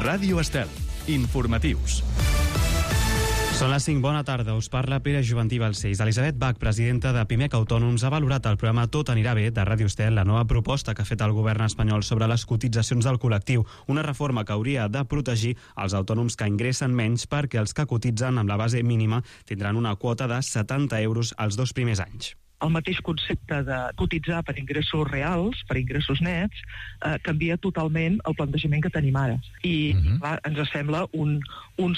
Ràdio Estel. Informatius. Són les 5, bona tarda, us parla Pere Juventí Balcells. Elisabet Bach, presidenta de Pimec Autònoms, ha valorat el programa Tot anirà bé de Ràdio Estel, la nova proposta que ha fet el govern espanyol sobre les cotitzacions del col·lectiu, una reforma que hauria de protegir els autònoms que ingressen menys perquè els que cotitzen amb la base mínima tindran una quota de 70 euros els 2 primers anys. El mateix concepte de cotitzar per ingressos reals, per ingressos nets, canvia totalment el plantejament que tenim ara. I clar, ens sembla un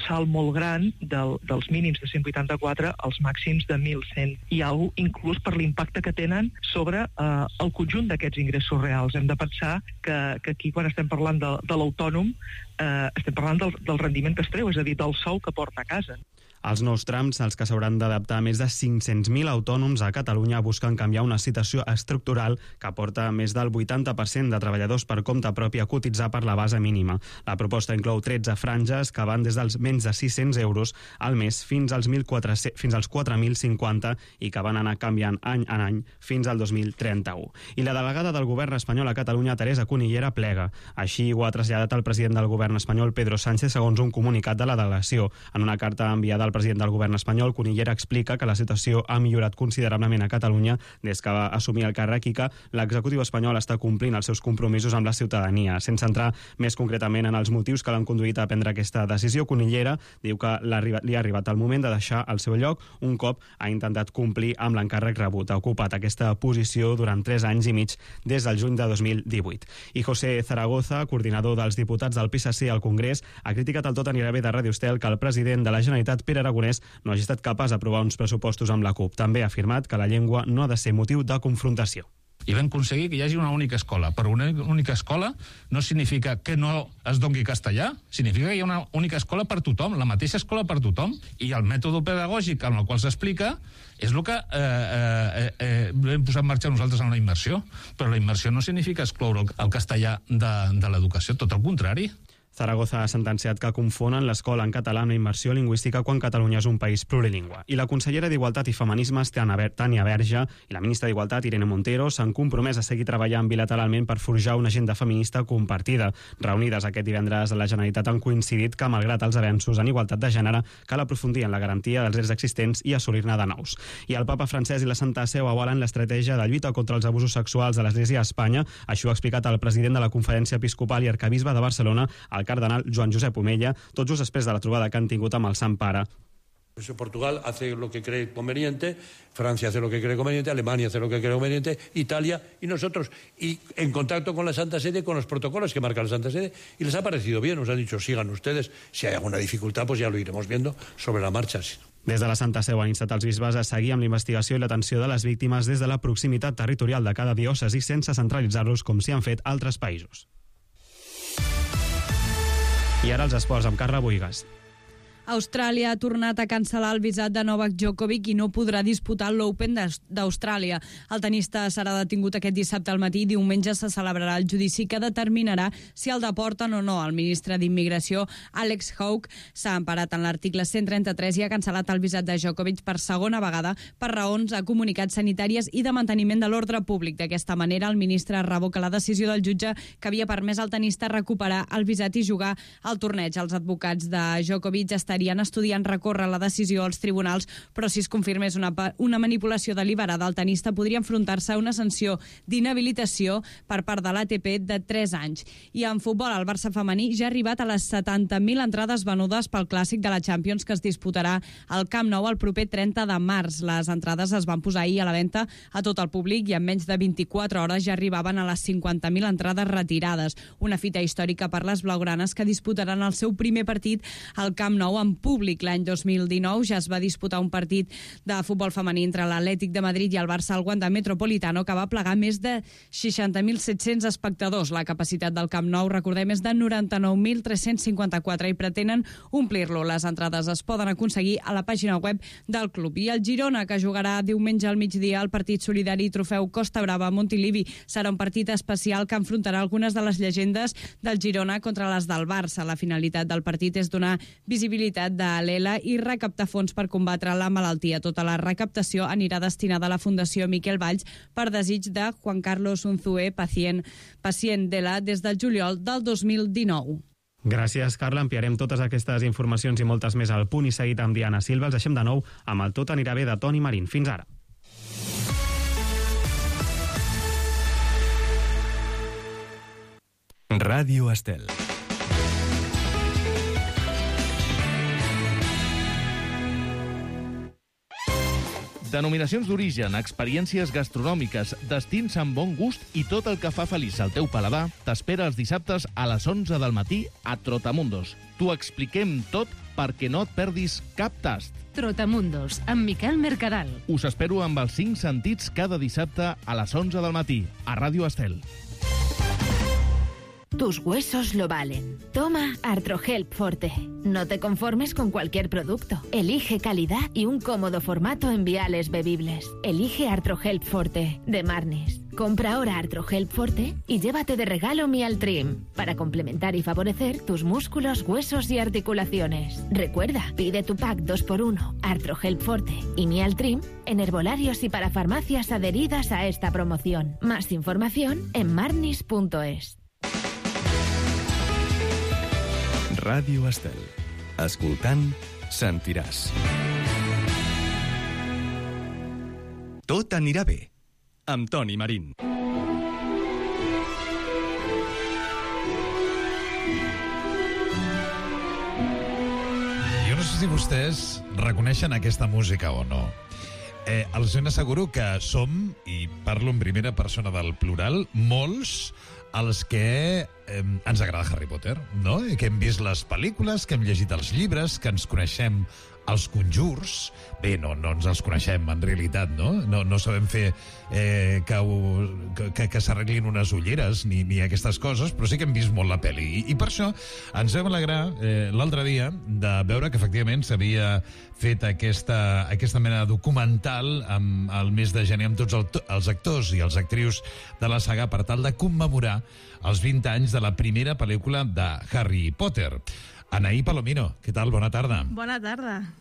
salt molt gran dels mínims de 184 als màxims de 1.100 i alguna cosa, inclús per l'impacte que tenen sobre el conjunt d'aquests ingressos reals. Hem de pensar que aquí, quan estem parlant de l'autònom, estem parlant del rendiment que es treu, és a dir, del sou que porta a casa. Els nous trams, als que s'hauran d'adaptar més de 500.000 autònoms a Catalunya, busquen canviar una situació estructural que porta més del 80% de treballadors per compte propi a cotitzar per la base mínima. La proposta inclou 13 franges que van des dels menys de 600 euros al mes fins als 4.050 i que van anar canviant any en any fins al 2031. I la delegada del govern espanyol a Catalunya, Teresa Cunillera, plega. Així ho ha traslladat el president del govern espanyol, Pedro Sánchez, segons un comunicat de la delegació. En una carta enviada al president del govern espanyol, Cunillera explica que la situació ha millorat considerablement a Catalunya des que va assumir el càrrec i que l'executiu espanyol està complint els seus compromisos amb la ciutadania. Sense entrar més concretament en els motius que l'han conduït a prendre aquesta decisió, Cunillera diu que li ha arribat el moment de deixar el seu lloc un cop ha intentat complir amb l'encàrrec rebut. Ha ocupat aquesta posició durant 3 anys i mig des del juny de 2018. I José Zaragoza, coordinador dels diputats del PSC al Congrés, ha criticat el Tot anirà bé de Ràdio Estel que el president de la Generalitat, Pere Aragonès, no hagi estat capaç d'aprovar uns pressupostos amb la CUP. També ha afirmat que la llengua no ha de ser motiu de confrontació. I vam aconseguir que hi hagi una única escola. Però una única escola no significa que no es doni castellà, significa que hi ha una única escola per tothom, la mateixa escola per tothom, i el mètode pedagògic amb el qual s'explica és el que hem posat en marxa nosaltres en la immersió. Però la immersió no significa excloure el castellà de l'educació, tot el contrari. Zaragoza ha sentenciat que confonen l'escola en català amb la immersió lingüística quan Catalunya és un país plurilingüe. I la consellera d'Igualtat i Feminismes, Tània Verge, i la ministra d'Igualtat, Irene Montero, s'han compromès a seguir treballant bilateralment per forjar una agenda feminista compartida. Reunides aquest divendres a la Generalitat han coincidit que, malgrat els avenços en igualtat de gènere, cal aprofundir en la garantia dels drets existents i assolir-ne de nous. I el papa Francesc i la Santa Seu avalen l'estratègia de lluita contra els abusos sexuals de l'Església a Espanya. Això ha explicat el president de la Conferència Episcopal i Arquebisbe de Barcelona, el cardenal Joan Josep Omella, tot just després de la trobada que han tingut amb el Sant Pare. Portugal hace lo que cree conveniente, Francia hace lo que cree conveniente, Alemania hace lo que cree conveniente, Italia y nosotros. Y en contacto con la Santa Sede, con los protocolos que marca la Santa Sede, y les ha parecido bien, nos han dicho, sigan ustedes, si hay alguna dificultad, pues ya lo iremos viendo sobre la marcha. Des de la Santa Seu han instat els bisbes a seguir amb la investigació i l'atenció de les víctimes des de la proximitat territorial de cada diòcesi sense centralitzar-los com s'hi han fet altres països. I ara els esports amb Carla Boigas. Austràlia ha tornat a cancel·lar el visat de Novak Djokovic i no podrà disputar l'Open d'Austràlia. El tenista serà detingut aquest dissabte al matí i diumenge se celebrarà el judici que determinarà si el deporten o no. El ministre d'Immigració, Alex Hawke, s'ha emparat en l'article 133 i ha cancel·lat el visat de Djokovic per segona vegada per raons a comunicats sanitàries i de manteniment de l'ordre públic. D'aquesta manera, el ministre revoca la decisió del jutge que havia permès al tenista recuperar el visat i jugar al torneig. Els advocats de Djokovic estarien estudiant recórrer la decisió als tribunals, però si es confirmés una manipulació deliberada, el tenista podria enfrontar-se a una sanció d'inhabilitació per part de l'ATP de 3 anys. I en futbol, el Barça femení ja ha arribat a les 70.000 entrades venudes pel clàssic de la Champions que es disputarà al Camp Nou el proper 30 de març. Les entrades es van posar ahir a la venda a tot el públic i en menys de 24 hores ja arribaven a les 50.000 entrades retirades. Una fita històrica per les blaugranes que disputaran el seu primer partit al Camp Nou en públic. L'any 2019 ja es va disputar un partit de futbol femení entre l'Atlètic de Madrid i el Barça al Wanda Metropolitano que va plegar més de 60.700 espectadors. La capacitat del Camp Nou, recordem, és de 99.354 i pretenen omplir-lo. Les entrades es poden aconseguir a la pàgina web del club. I el Girona, que jugarà diumenge al migdia el partit solidari Trofeu Costa Brava a Montilivi. Serà un partit especial que enfrontarà algunes de les llegendes del Girona contra les del Barça. La finalitat del partit és donar visibilitat de l'ELA i recaptar fons per combatre la malaltia. Tota la recaptació anirà destinada a la Fundació Miquel Valls per desig de Juan Carlos Unzué, pacient d'ELA des del juliol del 2019. Gràcies, Carla. Ampliarem totes aquestes informacions i moltes més al Punt i Seguit amb Diana Silva. Els deixem de nou amb el Tot anirà bé de Toni Marín. Fins ara. Ràdio Estel. Denominacions d'origen, experiències gastronòmiques, destins amb bon gust i tot el que fa feliç al teu paladar t'espera els dissabtes a les 11 del matí a Trotamundos. T'ho expliquem tot perquè no et perdis cap tast. Trotamundos, amb Miquel Mercadal. Us espero amb els 5 sentits cada dissabte a les 11 del matí a Ràdio Estel. Tus huesos lo valen. Toma Artrohelp Forte. No te conformes con cualquier producto. Elige calidad y un cómodo formato en viales bebibles. Elige Artrohelp Forte, de Marnis. Compra ahora Artrohelp Forte y llévate de regalo Mialtrim, para complementar y favorecer tus músculos, huesos y articulaciones. Recuerda, pide tu pack 2x1, Artrohelp Forte y Mialtrim en herbolarios y para farmacias adheridas a esta promoción. Más información en marnis.es. Ràdio Estel. Escoltant, sentiràs. Tot anirà bé, amb Toni Marín. Jo no sé si vostès reconeixen aquesta música o no. Els ben asseguro que som, i parlo en primera persona del plural, molts els que ens agrada Harry Potter, no? Que hem vist les pel·lícules, que hem llegit els llibres, que ens coneixem els conjurs. Bé, no ens els coneixem, en realitat, no? No sabem fer que s'arreglin unes ulleres ni aquestes coses, però sí que hem vist molt la pel·li. I per això ens vam alegrar l'altre dia de veure que efectivament s'havia fet aquesta mena de documental al mes de gener amb tots els actors i els actrius de la saga per tal de commemorar els 20 anys de la primera pel·lícula de Harry Potter. Anaí Palomino, què tal? Bona tarda. Bona tarda.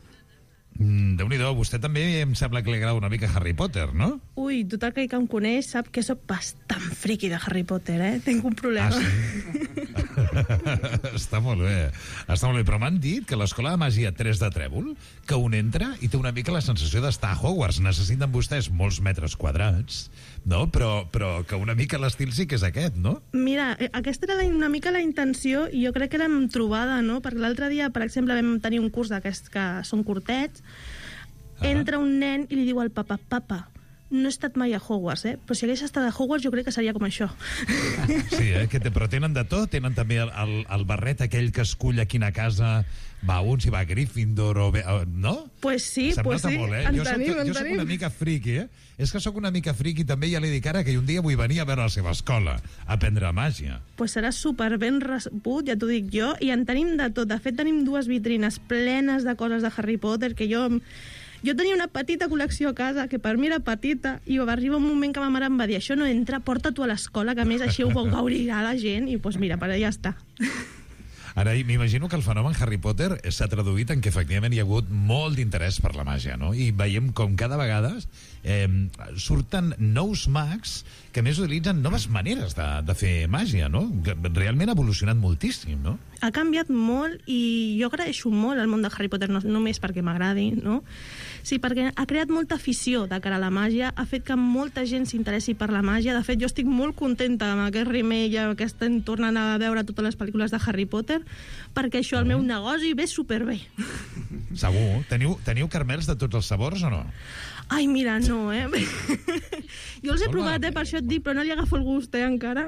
Déu-n'hi-do, vostè també em sembla que li agrada una mica Harry Potter, no? Ui, tothom que em coneix sap que soc bastant friqui de Harry Potter, Tinc un problema. Ah, sí? Està molt bé, però m'han dit que l'escola de màgia 3 de Trèvol, que un entra i té una mica la sensació d'estar a Hogwarts. Necessiten vostès molts metres quadrats, no? Però que una mica l'estil sí que és aquest, no? Mira, aquesta era una mica la intenció i jo crec que l'hem trobada, no? Perquè l'altre dia, per exemple, vam tenir un curs d'aquests que són curtets. Entra un nen i li diu al papa, no he estat mai a Hogwarts, però si hagués estat a Hogwarts jo crec que seria com això. Sí, però tenen de tot, tenen també el barret aquell que escull a quina casa va un, si va a Gryffindor o bé, no? Pues sí, molt, en tenim. Jo soc una mica friqui, És que soc una mica friqui també, ja li dic ara que un dia vull venir a veure la seva escola, a aprendre màgia. Pues serà super ben rebut, ja t'ho dic jo, i en tenim de tot. De fet, tenim 2 vitrines plenes de coses de Harry Potter que jo tenia una petita col·lecció a casa, que per mi era petita, i va arribar un moment que ma mare em va dir això no entra, porta-t'ho a l'escola, que a més així ho gaudirà la gent, i doncs mira, ja està. Ara, m'imagino que el fenomen Harry Potter s'ha traduït en que efectivament hi ha hagut molt d'interès per la màgia, no? I veiem com cada vegada surten nous mags que més utilitzen noves maneres de fer màgia, no? Realment ha evolucionat moltíssim, no? Ha canviat molt i jo agraeixo molt el món de Harry Potter, no només perquè m'agradi, no? Sí, perquè ha creat molta afició de cara a la màgia, ha fet que molta gent s'interessi per la màgia. De fet, jo estic molt contenta amb aquest remake que estem tornant a veure totes les pel·lícules de Harry Potter, perquè això al meu negoci ve superbé. Segur. Teniu caramels de tots els sabors o no? Ai, mira, no, Jo els he provat, per això et dic, però no li agafo el gust, encara.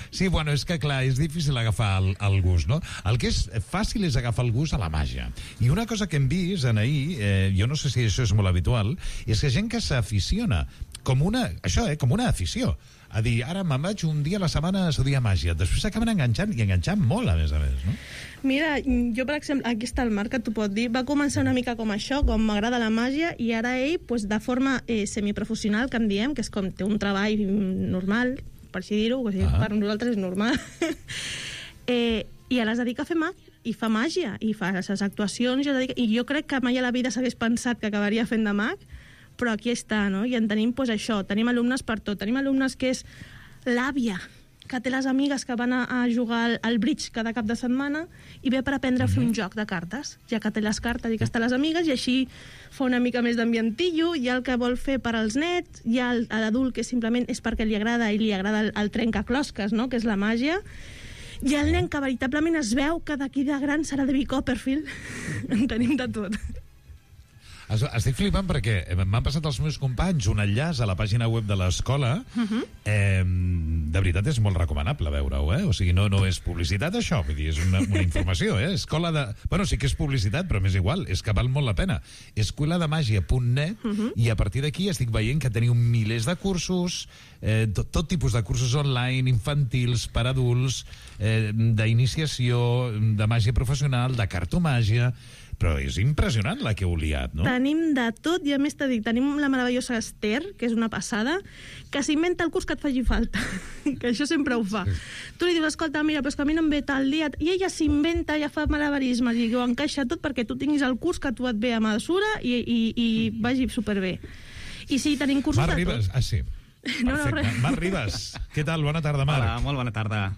Sí, bueno, és que clar, és difícil agafar el gust, no? El que és fàcil és agafar el gust a la màgia. I una cosa que hem vist, Anaí, jo no sé si això és molt habitual, és que gent que s'aficiona com una afició. A dir, ara me'n vaig un dia a la setmana a estudiar màgia. Després s'acaben enganxant molt, a més, no? Mira, jo, per exemple, aquí està el Marc, que t'ho pot dir, va començar una mica com això, com m'agrada la màgia, i ara ell, de forma semiprofessional, que en diem, que és com té un treball normal, per així dir-ho, per nosaltres és normal, i ara es dedica a fer i fa màgia, i fa les actuacions, i jo crec que mai a la vida s'hagués pensat que acabaria fent de mag, però aquí està, no? I en tenim això, tenim alumnes per tot. Tenim alumnes que és l'àvia, que té les amigues que van a jugar al bridge cada cap de setmana i ve per aprendre a fer un joc de cartes, ja que té les cartes i que està les amigues, i així fa una mica més d'ambientillo. Hi ha el que vol fer per als nets, hi ha l'adult que simplement és perquè li agrada i li agrada el trencaclosques, no?, que és la màgia. Hi ha el nen que veritablement es veu que d'aquí de gran serà David Copperfield. En tenim de tot. Estic flipant perquè m'han passat els meus companys un enllaç a la pàgina web de l'escola. De veritat és molt recomanable veure-ho, O sigui, no és publicitat, això, vull dir, és una informació, Escola de... Bueno, sí que és publicitat, però m'és igual, és que val molt la pena. escolademagia.net, i a partir d'aquí estic veient que teniu milers de cursos, tot tipus de cursos online, infantils, per adults, d'iniciació, de màgia professional, de cartomàgia... Però és impressionant la que heu liat, no? Tenim de tot, i a més t'he dit, tenim la meravellosa Esther, que és una passada, que s'inventa el curs que et faci falta, que això sempre ho fa. Tu li dius, escolta, mira, però és que a mi no em ve tal dia, i ella s'inventa, ja fa malabarismes, i ho encaixa tot perquè tu tinguis el curs que a tu et ve a mesura i vagi superbé. I sí, tenim cursos Marc de Ribas, tot. sí. Perfecte. Marc Ribas, què tal? Bona tarda, Marc. Hola, molt bona tarda.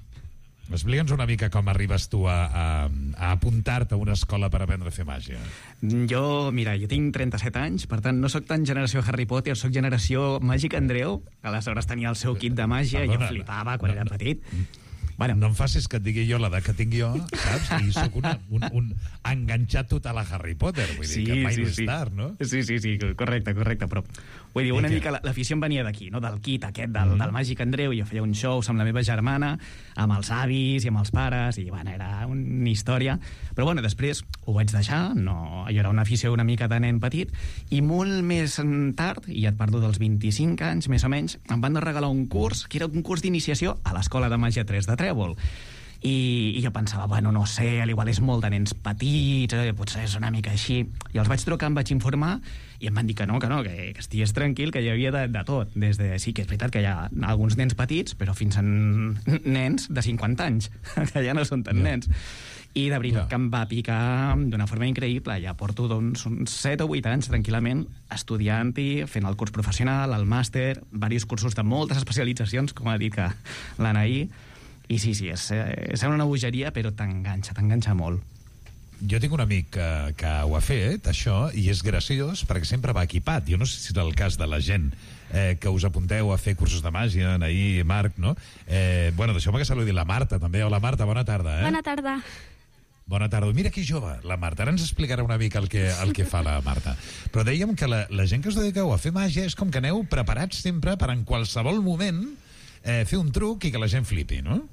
Explica'ns una mica com arribes tu a apuntar-te a una escola per aprendre a fer màgia. Jo tinc 37 anys, per tant, no sóc tan generació Harry Potter, sóc generació Màgic Andreu, que aleshores tenia el seu kit de màgia i jo flipava quan era petit. Bueno. No em facis que et digui jo l'edat que tinc jo, saps? I sóc un enganxat total a Harry Potter, vull dir que mai no és tard, no? Sí, correcte, però vull dir, una mica l'afició em venia d'aquí, no? Del kit aquest del Màgic Andreu. Jo feia un show amb la meva germana, amb els avis i amb els pares, i bueno, era una història. Però bueno, després ho vaig deixar, no, jo era una afició una mica de nen petit, i molt més tard, i ja et parlo dels 25 anys, més o menys, em van regalar un curs, que era un curs d'iniciació a l'Escola de Màgia 3 de Trèvol. I jo pensava, bueno, no sé, igual és molt de nens petits, potser és una mica així. I els vaig trucar, em vaig informar, i em van dir que que estigués tranquil, que hi havia de tot. Sí que és veritat que hi ha alguns nens petits, però fins a nens de 50 anys, que ja no són tan nens. I de veritat que em va picar d'una forma increïble. Ja porto uns 7 o 8 anys tranquil·lament estudiant-hi, fent el curs professional, el màster, diversos cursos de moltes especialitzacions, com ha dit que l'Anaí. I sí, és una bogeria, però t'enganxa molt. Jo tinc un amic que ho ha fet, això, i és graciós, perquè sempre va equipat. Jo no sé si és el cas de la gent que us apunteu a fer cursos de màgia, Anaí, Marc, no? Bueno, deixeu-me que saludi la Marta, també. Hola, Marta, bona tarda. Bona tarda. Bona tarda. Mira que jove, la Marta. Ara ens explicarà una mica el que fa la Marta. Però dèiem que la gent que us dediqueu a fer màgia és com que aneu preparats sempre per en qualsevol moment fer un truc i que la gent flipi, no?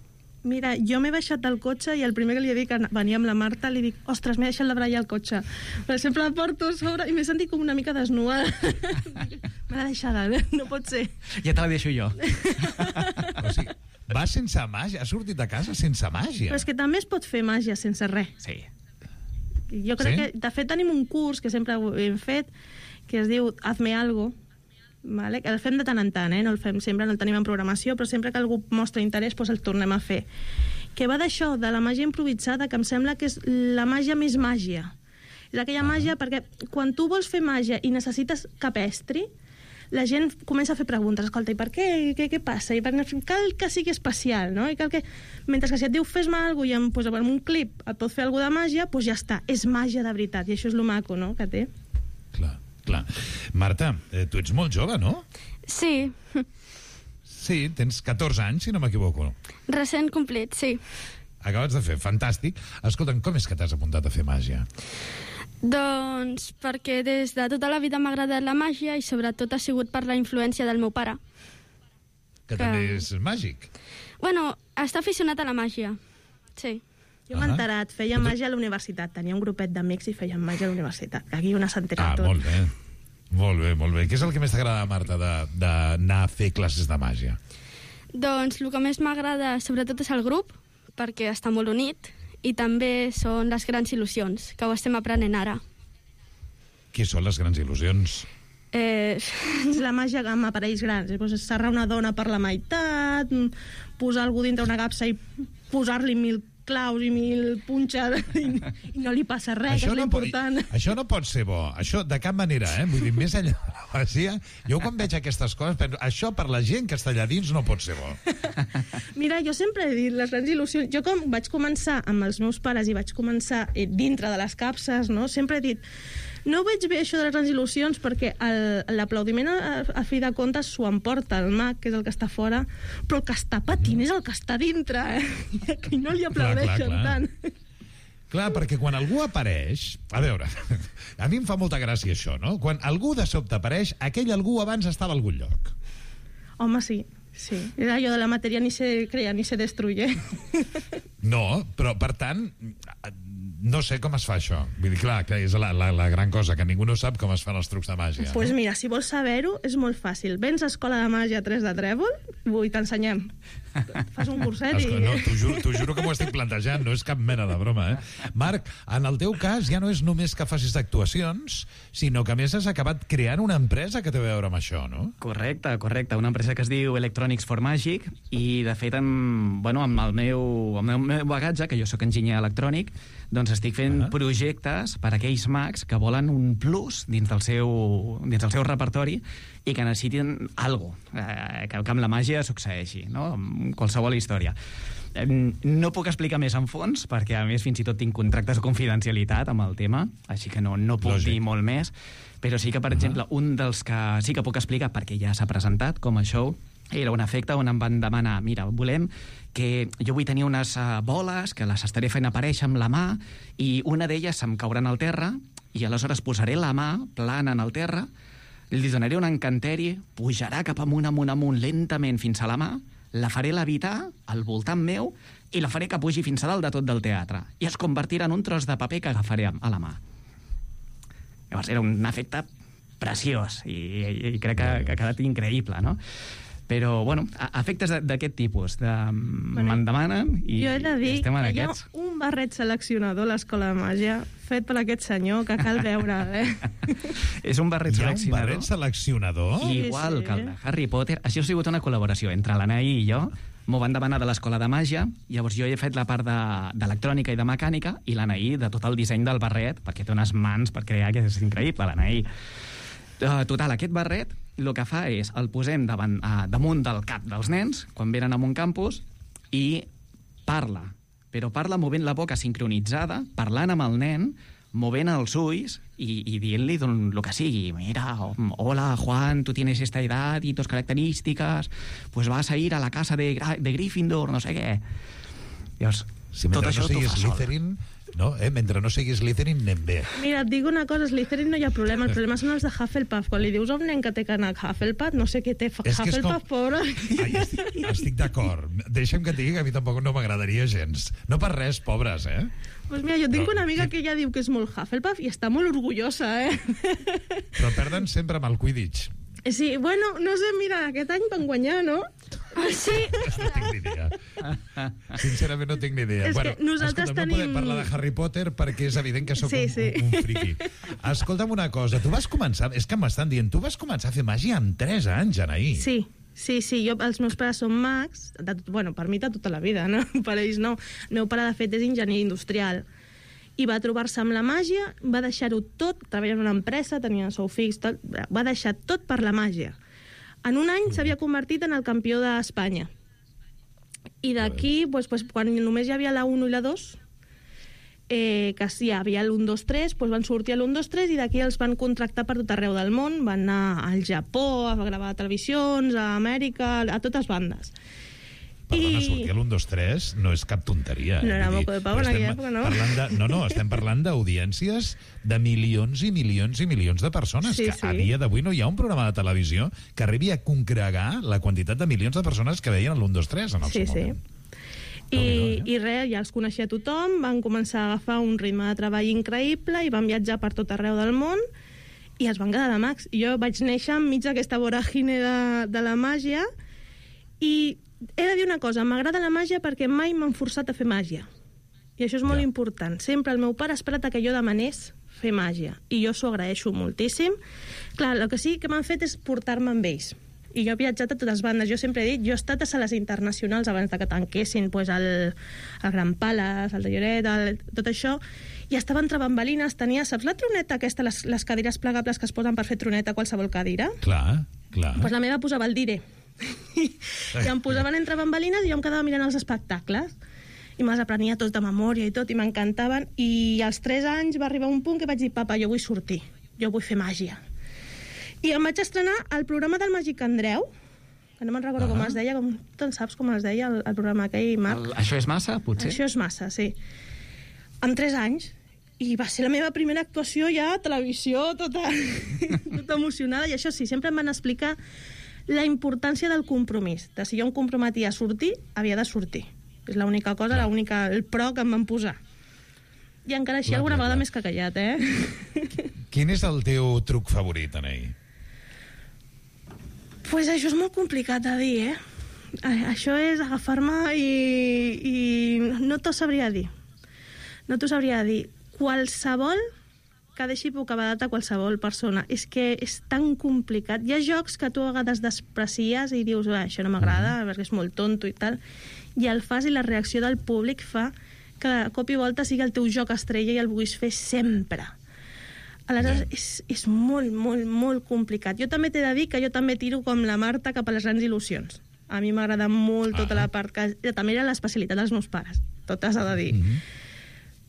Mira, jo m'he baixat del cotxe i el primer que li he dit que venia amb la Marta li dic, ostres, m'he deixat la braia al cotxe. Per exemple, la porto a sobre i m'he sentit com una mica desnuda. Me l'ha deixada, no pot ser. Ja te la deixo jo. O sigui, va sense màgia, ha sortit de casa sense màgia. Però és que també es pot fer màgia sense res. Sí. Jo crec que, de fet, tenim un curs que sempre hem fet que es diu Hazme Algo, vale? Que el fem de tant en tant, no el fem sempre, no el tenim en programació, però sempre que algú mostra interès doncs el tornem a fer, que va d'això, de la màgia improvisada, que em sembla que és la màgia més màgia. És aquella màgia perquè quan tu vols fer màgia i necessites capestri, la gent comença a fer preguntes, escolta, i per què? Què passa? I cal que sigui especial, no? I cal que... Mentre que si et diu fes-me alguna cosa i amb un clip et pot fer alguna de màgia, doncs ja està, és màgia de veritat, i això és lo maco, no?, que té. Clar. Marta, tu ets molt jove, no? Sí. Sí, tens 14 anys, si no m'equivoco. Recent complit, sí. Acabes de fer, fantàstic. Escolta'm, com és que t'has apuntat a fer màgia? Doncs perquè des de tota la vida m'ha agradat la màgia i sobretot ha sigut per la influència del meu pare. Que també és màgic. Bueno, està aficionat a la màgia, sí. Jo m'he enterat, feia màgia a la universitat. Tenia un grupet d'amics i feien màgia a la universitat. Aquí una s'ha enterat tot. Molt bé. Molt bé. Què és el que més t'agrada, Marta, d'anar a fer classes de màgia? Doncs el que més m'agrada sobretot és el grup, perquè està molt unit, i també són les grans il·lusions, que ho estem aprenent ara. Què són les grans il·lusions? És la màgia amb aparells grans. Serrar una dona per la meitat, posar algú dintre una capsa i posar-li 1000 claus i 1000 punxes i no li passa res, que és l'important. Això no pot ser bo, això de cap manera, Vull dir, més enllà de la màgia, jo quan veig aquestes coses penso, això per la gent que està allà dins no pot ser bo. Mira, jo sempre he dit, les grans il·lusions... Jo com vaig començar amb els meus pares i vaig començar dintre de les capses, no? Sempre he dit... No veig bé això de les grans il·lusions perquè l'aplaudiment a fi de comptes s'ho emporta el mag, que és el que està fora, però el que està patint és el que està dintre, que no li aplaudeixen tant. Clar, perquè quan algú apareix... A veure, a mi em fa molta gràcia això, no? Quan algú de sobte apareix, aquell algú abans estava a algun lloc. Home, sí. Sí, és allò de la matèria ni se crea ni se destruye. No, però per tant... No sé com es fa això. Vull dir, clar, que és la gran cosa, que ningú no sap com es fan els trucs de màgia. Doncs mira, si vols saber-ho, és molt fàcil. Vens a Escola de Màgia 3 de Trèvol i t'ensenyem. Fas un curset i... No, t'ho juro que m'ho estic plantejant, no és cap mena de broma, Marc, en el teu cas ja no és només que facis actuacions, sinó que a més has acabat creant una empresa que té a veure amb això, no? Correcte. Una empresa que es diu Electronics for Magic i, de fet, amb el meu bagatge, que jo sóc enginyer electrònic, doncs estic fent projectes per a aquells mags que volen un plus dins del seu repertori i que necessiten alguna cosa, que amb la màgia succeeixi, no? Amb qualsevol història. No puc explicar més en fons, perquè a més fins i tot tinc contractes de confidencialitat amb el tema, així que no puc dir molt més, però sí que, per exemple, un dels que sí que puc explicar, perquè ja s'ha presentat com a show, era un efecte on em van demanar, mira, volem que jo vull tenir unes boles que les estaré fent aparèixer amb la mà i una d'elles se'm cauran al terra i aleshores posaré la mà plana en el terra, li donaré un encanteri, pujarà cap amunt, lentament fins a la mà, la faré levitar al voltant meu i la faré que pugi fins a dalt de tot del teatre i es convertirà en un tros de paper que agafaré a la mà. Llavors era un efecte preciós i crec que ha quedat increïble, no? Però, bueno, efectes d'aquest tipus me'n demanen i jo he de dir estem en que aquests. hi ha un barret seleccionador a l'Escola de Màgia fet per aquest senyor que cal veure, És un barret seleccionador. Hi ha un barret seleccionador? Igual que el de Harry Potter. Això ha sigut una col·laboració entre l'Anaí i jo. M'ho van demanar de l'Escola de Màgia, llavors jo he fet la part d'electrònica i de mecànica i l'Anaí de tot el disseny del barret, perquè té unes mans per crear, que és increïble, l'Anaí. Total, aquest barret el que fa és el posem damunt del cap dels nens quan venen a un campus i parla, però parla movent la boca sincronitzada, parlant amb el nen, movent els ulls y dient-li lo que sigui. Mira, hola Juan, tú tienes esta edad y tus características, pues vas a ir a la casa de Gryffindor, no sé què. Llavors, si tot això no siguis Slytherin, no? Mentre no siguis Slytherin anem bé. Mira, et dic una cosa, Slytherin no hi ha problema, el problema són els de Hufflepuff. Quan li dius a un nen que té canal Hufflepuff, no sé què té Hufflepuff, pobre. Estic d'acord. Deixa'm que et digui que a mi tampoc no m'agradaria gens. No per res, pobres, Pues mira, jo tinc una amiga que ella diu que és molt Hufflepuff i està molt orgullosa, Però perden sempre amb el Quidditch. Sí, bueno, no sé, mira, aquest any van guanyar, no? Sí. No tinc ni idea. Sincerament no tinc ni idea. És que nosaltres escolta'm, no podem parlar de Harry Potter perquè és evident que sóc un friqui. Escolta'm una cosa, tu vas començar, és que m'estan dient, tu vas començar a fer màgia amb 3 anys, Anaí. Sí, els meus pares són mags, per mi de tota la vida, no? Per ells no. El meu pare, de fet, és enginyer industrial i va trobar-se amb la màgia, va deixar-ho tot, treballa en una empresa, tenia sou fix, tot, va deixar tot per la màgia. En un any s'havia convertit en el campió d'Espanya. I d'aquí, quan només hi havia la 1 i la 2, que sí, hi havia l'1, 2, 3, van sortir a l'1, 2, 3 i d'aquí els van contractar per tot arreu del món, van anar al Japó a gravar televisions, a Amèrica, a totes bandes. Perdona, sortir a l'1, 2, 3 no és cap tonteria. No era moco de pau en aquella època, no? No, estem parlant d'audiències de milions i milions i milions de persones, que a dia d'avui no hi ha un programa de televisió que arribi a congregar la quantitat de milions de persones que veien l'1, 2, 3 en el seu moment. I res, ja els coneixia tothom, van començar a agafar un ritme de treball increïble i van viatjar per tot arreu del món i es van quedar de mags. Jo vaig néixer enmig d'aquesta voràgine de la màgia i he de dir una cosa, m'agrada la màgia perquè mai m'han forçat a fer màgia. I això és molt important. Sempre el meu pare ha esperat que jo demanés fer màgia. I jo s'ho agraeixo moltíssim. Clar, el que sí que m'han fet és portar-me amb ells. I jo he viatjat a totes bandes. Jo sempre he dit, jo he estat a sales internacionals abans de que tanquessin pues, el Gran Palace, el de Lloret, tot això, i estava entre bambalines, tenia, saps la troneta aquesta, les cadires plegables que es posen per fer troneta a qualsevol cadira? Clar. Pues la meva posava el dire. I em posaven entre bambalines i jo em quedava mirant els espectacles. I me'ls aprenia tots de memòria i tot, i m'encantaven. I als 3 anys va arribar un punt que vaig dir, papa, jo vull sortir, jo vull fer màgia. I em vaig estrenar al programa del Màgic Andreu, que no me'n recordo com es deia, te'n saps com es deia el programa aquell, Marc? Això és massa, potser? Això és massa, sí. Amb 3 anys, i va ser la meva primera actuació ja a televisió, tota emocionada, i això sí, sempre em van explicar la importància del compromís, de si jo em comprometia a sortir, havia de sortir. És l'única cosa, el pro que em van posar. I encara així alguna vegada més que callat, Quin és el teu truc favorit, Anei? Pues això és molt complicat de dir, Això és agafar-me i no t'ho sabria dir. No t'ho sabria dir. Qualsevol que deixi bocabadat a qualsevol persona. És que és tan complicat. Hi ha jocs que tu a vegades desprecies i dius, això no m'agrada, perquè és molt tonto i tal, i el fas i la reacció del públic fa que de cop i volta sigui el teu joc estrella i el vulguis fer sempre. Aleshores, és molt, molt, molt complicat. Jo també t'he de dir que jo també tiro com la Marta cap a les grans il·lusions. A mi m'agrada molt tota la part que... També era l'especialitat dels meus pares, tot s'ha de dir.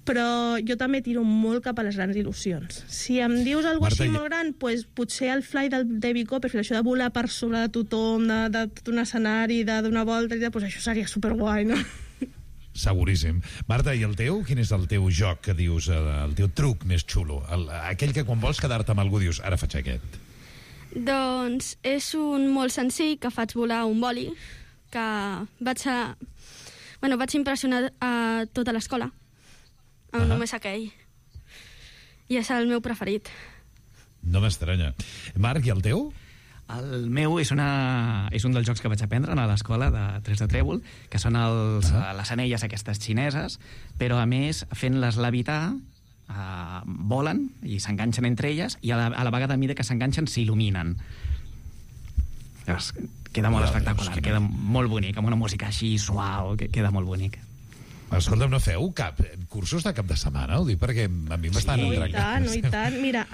Però jo també tiro molt cap a les grans il·lusions. Si em dius alguna cosa així molt gran, pues, potser el fly del David Copperfield, això de volar per sobre de tothom, de tot un escenari, de donar voltes, pues això seria superguai, no? Seguríssim. Marta, i el teu? Quin és el teu joc que dius, el teu truc més xulo? Aquell que quan vols quedar-te amb algú dius, ara faig aquest. Doncs és un molt senzill, que faig volar un boli, que vaig impressionar a tota l'escola, amb només aquell. I és el meu preferit. No m'estranya. Marc, i el teu? El meu és un dels jocs que vaig aprendre a l'escola de Tres de Trèvol, que són les anelles aquestes xineses, però a més fent-les levitar volen i s'enganxen entre elles i a la vegada a mida que s'enganxen s'il·luminen. Llavors, queda molt espectacular, queda molt bonic, amb una música així suau, queda molt bonic. Escolta'm, no feu cursos de cap de setmana? Ho dic perquè a mi m'estan entranyant. No, i tant. Mira,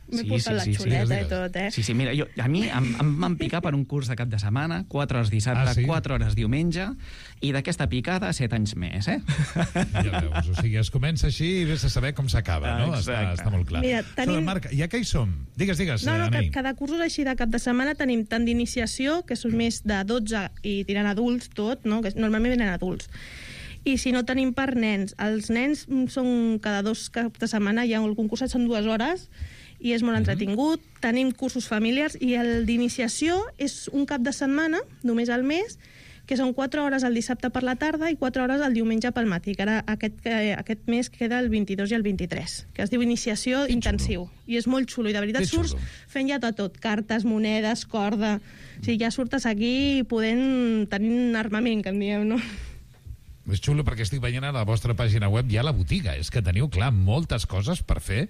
m'he portat la xuleta i tot, Sí, mira, a mi em van picar per un curs de cap de setmana, 4 hores dissabte, 4 hores diumenge, i d'aquesta picada 7 anys més, Ja veus, o sigui, es comença així i vés a saber com s'acaba, no? Està molt clar. Mira, Marc, ja que hi som, digues, Anei. Cada curs així de cap de setmana tenim tant d'iniciació, que són més de 12 i tirant adults tot, no? Que normalment venen adults. I si no tenim per nens, els nens són cada 2 caps de setmana, hi ha algun curs, són 2 hores, i és molt entretingut. Tenim cursos familiars i el d'iniciació és un cap de setmana, només al mes, que són 4 hores el dissabte per la tarda i 4 hores el diumenge pel matí, que ara aquest mes queda el 22 i el 23, que es diu iniciació intensiu. I és molt xulo, i de veritat surts fent ja tot, cartes, monedes, corda... O sigui, ja surtes aquí podent tenir un armament, que en diem, no? És xulo perquè estic veient a la vostra pàgina web ja la botiga. És que teniu, clar, moltes coses per fer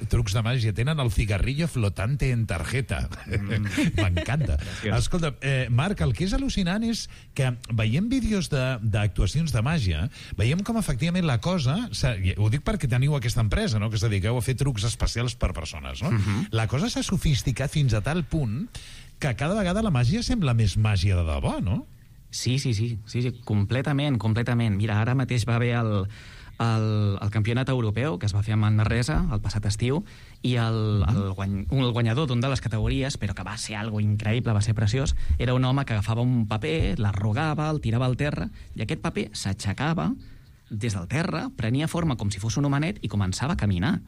trucs de màgia. Tenen el cigarrillo flotante en tarjeta. M'encanta. Escolta, Marc, el que és al·lucinant és que veiem vídeos d'actuacions de màgia, veiem com efectivament la cosa... Ho dic perquè teniu aquesta empresa, no?, que us dediqueu a fer trucs especials per persones, no? La cosa s'ha sofisticat fins a tal punt que cada vegada la màgia sembla més màgia de debò, no? Sí, completament. Mira, ara mateix va haver el campionat europeu que es va fer a Manresa el passat estiu i el guanyador d'una de les categories, però que va ser algo increïble, va ser preciós, era un home que agafava un paper, l'arrugava, el tirava al terra i aquest paper s'aixecava des del terra, prenia forma com si fos un homenet i començava a caminar.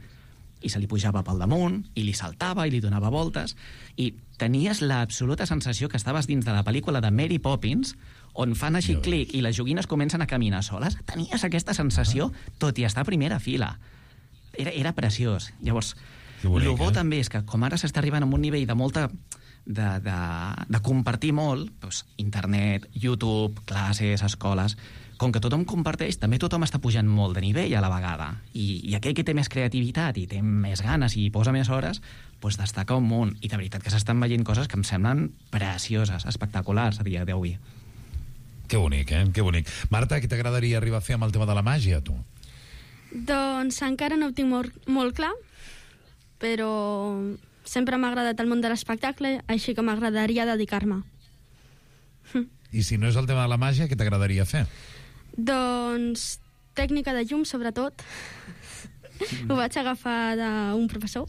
I se li pujava pel damunt, i li saltava, i li donava voltes, i tenies l'absoluta sensació que estaves dins de la pel·lícula de Mary Poppins, on fan així clic i les joguines comencen a caminar soles. Tenies aquesta sensació, tot i estar a primera fila. Era preciós. Llavors, el bo també és que, com ara s'està arribant a un nivell de molta de compartir molt, doncs, internet, YouTube, classes, escoles. Com que tothom comparteix, també tothom està pujant molt de nivell a la vegada. I aquell que té més creativitat i té més ganes i posa més hores, doncs destaca un munt. I de veritat que s'estan veient coses que em semblen precioses, espectaculars a dia d'avui. Que bonic, Que bonic. Marta, què t'agradaria arribar a fer amb el tema de la màgia, tu? Doncs encara no ho tinc molt clar, però sempre m'ha agradat el món de l'espectacle, així que m'agradaria dedicar-me. I si no és el tema de la màgia, què t'agradaria fer? Doncs tècnica de llum, sobretot. Ho vaig agafar d'un professor.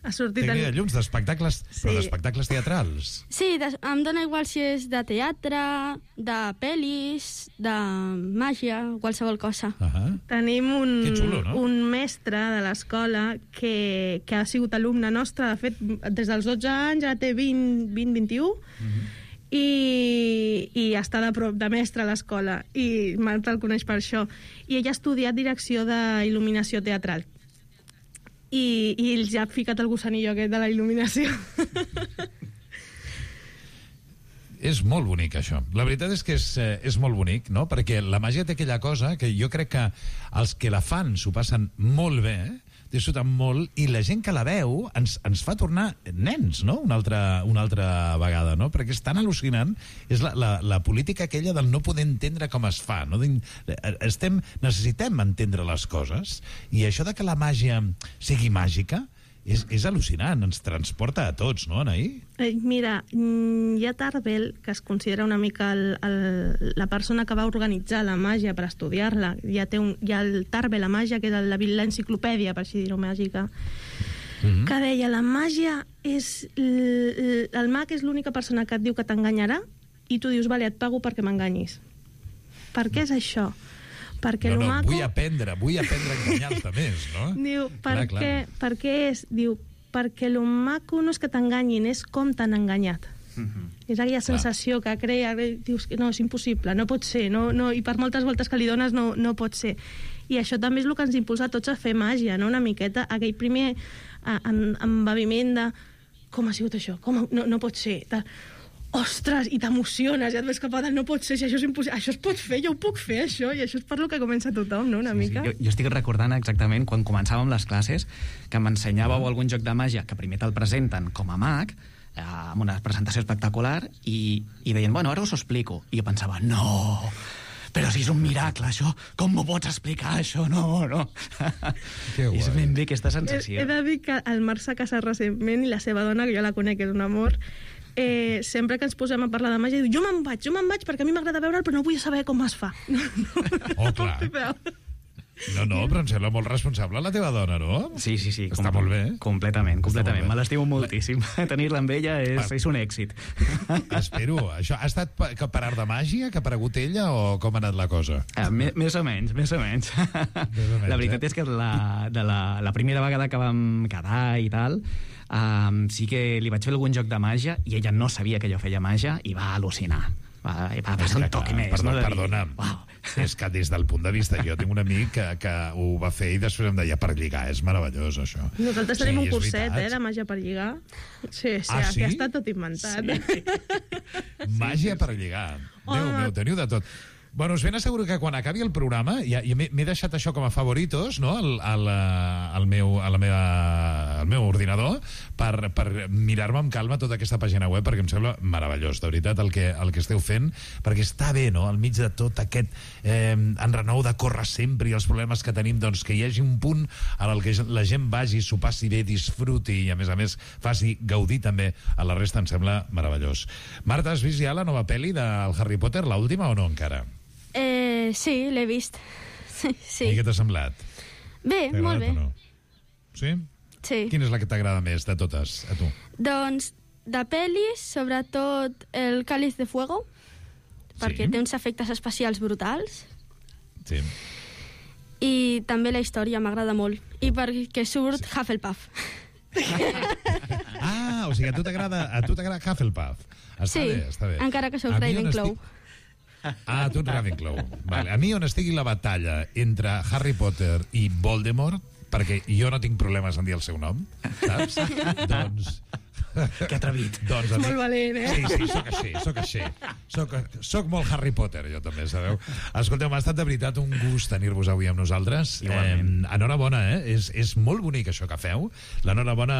Ha sortit tècnica de llums, d'espectacles, sí. Però d'espectacles teatrals. Sí, em dóna igual si és de teatre, de pel·lis, de màgia, qualsevol cosa. Tenim Que xulo, no? un mestre de l'escola que ha sigut alumne nostre, de fet, des dels 12 anys, ja té 20-21, i està de prop de mestre a l'escola, i Marta el coneix per això. I ella ha estudiat direcció d'il·luminació teatral. I ells ja ha ficat el gusanillo aquest de la il·luminació. És molt bonic, això. La veritat és que és molt bonic, no? Perquè la màgia té aquella cosa que jo crec que els que la fan s'ho passen molt bé, disfruten molt, i la gent que la veu ens fa tornar nens, no? Una altra vegada, no? Perquè és tan al·lucinant, és la política aquella del no poder entendre com es fa, no? Necessitem entendre les coses, i això de que la màgia sigui màgica és al·lucinant, ens transporta a tots, no, Anaí? Mira, hi ha Tarbell, que es considera una mica la persona que va organitzar la màgia per estudiar-la. Hi ha el Tarbell, la màgia, que és l'enciclopèdia, per així dir-ho, màgica, que deia, la màgia és... El mag és l'única persona que et diu que t'enganyarà i tu dius, vale, et pago perquè m'enganyis. Per què és això? Perquè no, maco... vull aprendre a enganyar-te més, no? Diu, per què és? Diu, perquè el maco no és que t'enganyin, és com t'han enganyat. És aquella sensació que crea, dius que no, és impossible, no pot ser, i per moltes voltes que li dones no pot ser. I això també és el que ens impulsa a tots a fer màgia, no? Una miqueta, aquell primer embeviment de com ha sigut això, no pot ser, ostres, i t'emociones, ja et ves cap a dalt, no pot ser, si això és impossible, això es pot fer, jo ho puc fer, això, i això és per lo que comença tothom, no?, una mica. Sí. Jo estic recordant exactament quan començàvem les classes que m'ensenyàveu algun joc de màgia que primer te'l presenten com a mag, amb una presentació espectacular, i deien, bueno, ara us ho explico. I jo pensava, no, però si és un miracle, això, com m'ho pots explicar, això? No. És ben bé aquesta sensació. He de dir que el Marc s'ha casat recentment i la seva dona, que jo la conec, és un amor, sempre que ens posem a parlar de màgia, diu, jo me'n vaig perquè a mi m'agrada veure'l, però no vull saber com es fa. Clar. No, però em sembla molt responsable la teva dona, no? Sí. Està molt bé. Completament. Me l'estimo moltíssim. Tenir-la amb ella és un èxit. Espero. Això ha estat per art de màgia que ha aparegut ella o com ha anat la cosa? Més o menys. La veritat és que la primera vegada que vam quedar i tal, sí que li vaig fer algun joc de màgia i ella no sabia que jo feia màgia i va al·lucinar. Va passar un toc més. Perdona. És que des del punt de vista, jo tinc un amic que ho va fer i després em deia per lligar, és meravellós això. Nosaltres tenim un curset de màgia per lligar. Sí? Que ha estat tot inventat. Sí. Màgia per lligar. Déu meu, teniu de tot. Bueno, us ben asseguro que quan acabi el programa, ja m'he deixat això com a favoritos, no?, al meu ordinador, per mirar-me amb calma tota aquesta pàgina web, perquè em sembla meravellós, de veritat, el que esteu fent, perquè està bé, no?, al mig de tot aquest enrenou de córrer sempre i els problemes que tenim, doncs que hi hagi un punt en el que la gent vagi, s'ho passi bé, disfruti i, a més, faci gaudir també a la resta, em sembla meravellós. Marta, has vist ja la nova pel·li del Harry Potter, l'última, o no encara? Sí, l'he vist. Sí. I què t'ha semblat? Bé, molt bé. No? Sí? Sí. Quina és la que t'agrada més de totes, a tu? Doncs, de pel·lis, sobretot el Cáliz de Fuego, perquè té uns efectes especials brutals. Sí. I també la història m'agrada molt. I perquè surt Hufflepuff. O sigui, a tu t'agrada Hufflepuff. Està bé. Encara que soc Ravenclaw. Tu ets Ravenclaw. Vale. A mi on estigui la batalla entre Harry Potter i Voldemort, perquè jo no tinc problemes en dir el seu nom, saps? Doncs Que atrevit. Doncs, molt valent, Soc així. Soc molt Harry Potter, jo també, sabeu? Escolteu, m'ha estat de veritat un gust tenir-vos avui amb nosaltres. Enhorabona, És molt bonic això que feu. L'enhorabona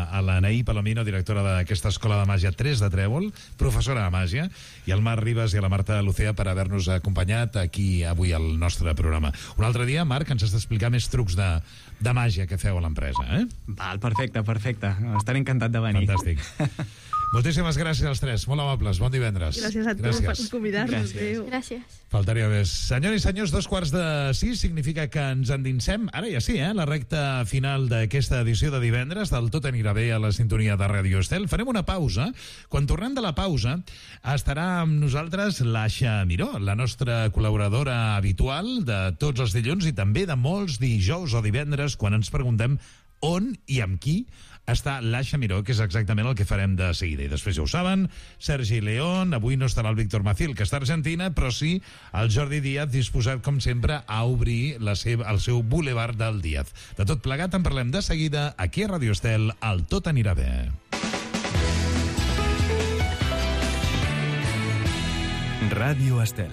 a l'Anaí Palomino, directora d'aquesta Escola de Màgia 3 de Trèvol, professora de màgia, i al Marc Ribas i a la Marta Lucea per haver-nos acompanyat aquí avui al nostre programa. Un altre dia, Marc, ens has d'explicar més trucs de màgia que feu a l'empresa, Val, perfecte. Estaré encantat de venir. Fantàstic. Moltíssimes gràcies als tres, molt amables. Bon divendres. Gràcies a tu per convidar-nos. Gràcies. Faltaria més. Senyors i senyors, 5:45 significa que ens endinsem, ara ja sí, la recta final d'aquesta edició de divendres del Tot anirà bé a la sintonia de Ràdio Estel. Farem una pausa. Quan tornem de la pausa estarà amb nosaltres l'Aixa Miró, la nostra col·laboradora habitual de tots els dilluns i també de molts dijous o divendres quan ens preguntem on i amb qui està l'Aixa Miró, que és exactament el que farem de seguida. I després ja ho saben, Sergi León, avui no estarà el Víctor Macil, que està a Argentina, però sí el Jordi Díaz, disposat, com sempre, a obrir el seu boulevard del Díaz. De tot plegat en parlem de seguida aquí a Ràdio Estel, al Tot anirà bé. Ràdio Estel.